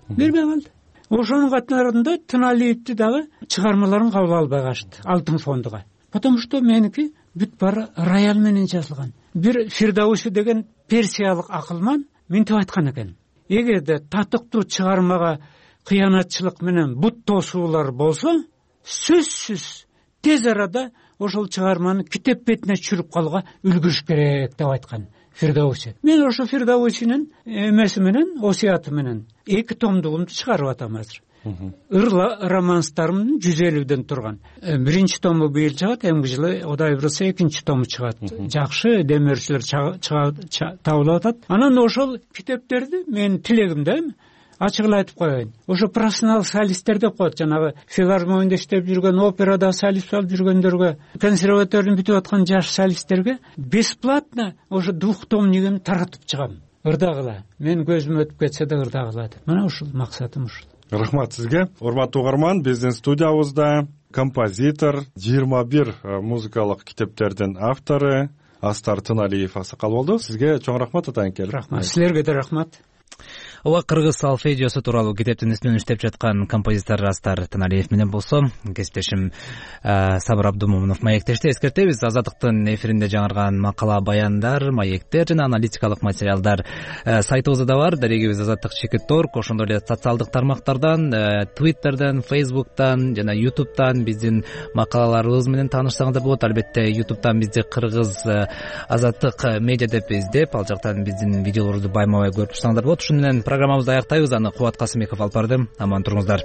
Бербей калды. Ошонун катарында Тыналиевди дагы чыгармаларын кабыл албай калышты Алтын фондуга. Потому что меники бүт баары рояль менен жазылган. Бир Фирдауси деген персиялык акылман мынтип айткан экен. Эгерде татыктуу чыгармага кыянатчылык менен бут тосуулар болсо, сөзсүз тез арада ошол чыгарманы китеп бетине түшүрүп калууга үлгүрүш керек деп айткан Фирдауси. Мен ошо Фирдаусинин эмеси менен, осуяты менен 2 томдугумду чыгарып атам азыр. ыр романстарымдын 150ден турган. Биринчи тому быйыл чыгат, эмки жылы Кудай буйруса экинчи тому чыгат. Жакшы демөөрчүлөр табылып атат. Анан ошол китептерди менин тилегим да ачык эле айтып коеюн. Ошо профессионал солисттер деп коет, жанагы филармонияда иштеп жүргөн, операда солист болуп жүргөндөргө, консерваторияны бүтүп аткан жаш солисттерге бесплатно ошо двухтомнигин таратып чыгам. Ырдагыла. Мен көзүм өтүп кетсе да ырдагыла деп. Мына ушул максатым ушул. Рахмат сизге. Урматтуу угарман, биздин студиябызда композитор, 21 музыкалык китептердин автору Астар Тыналиев аксакал болду. Сизге чоң рахмат атайын келип. Рахмат. Силерге да рахмат. Ооба, кыргыз солфеджиосу тууралуу китептин үстүнөн иштеп жаткан композитор Астар Тыналиев менен болсо, кесиптешим Сабыр Абдумомунов маектешти. Эскертебиз, Азаттыктын эфиринде жаңырган макала, баяндар, маектер жана аналитикалык материалдар сайтыбызда да бар. Дарегибиз azattik.org. Ошондой эле социалдык тармактардан, Twitter'дан, Facebook'тан жана YouTube'тан биздин макалаларыбыз менен таанышсаңыздар болот. Албетте YouTube'тан бизди кыргыз Азаттык медиа деп издеп, ал жактан биздин видеолорду байма-бай көрүп турсаңыздар болот. Ушуну менен программабызды аяктайбыз. Аны Кубат Касымбеков алып барды. Аман туруңуздар.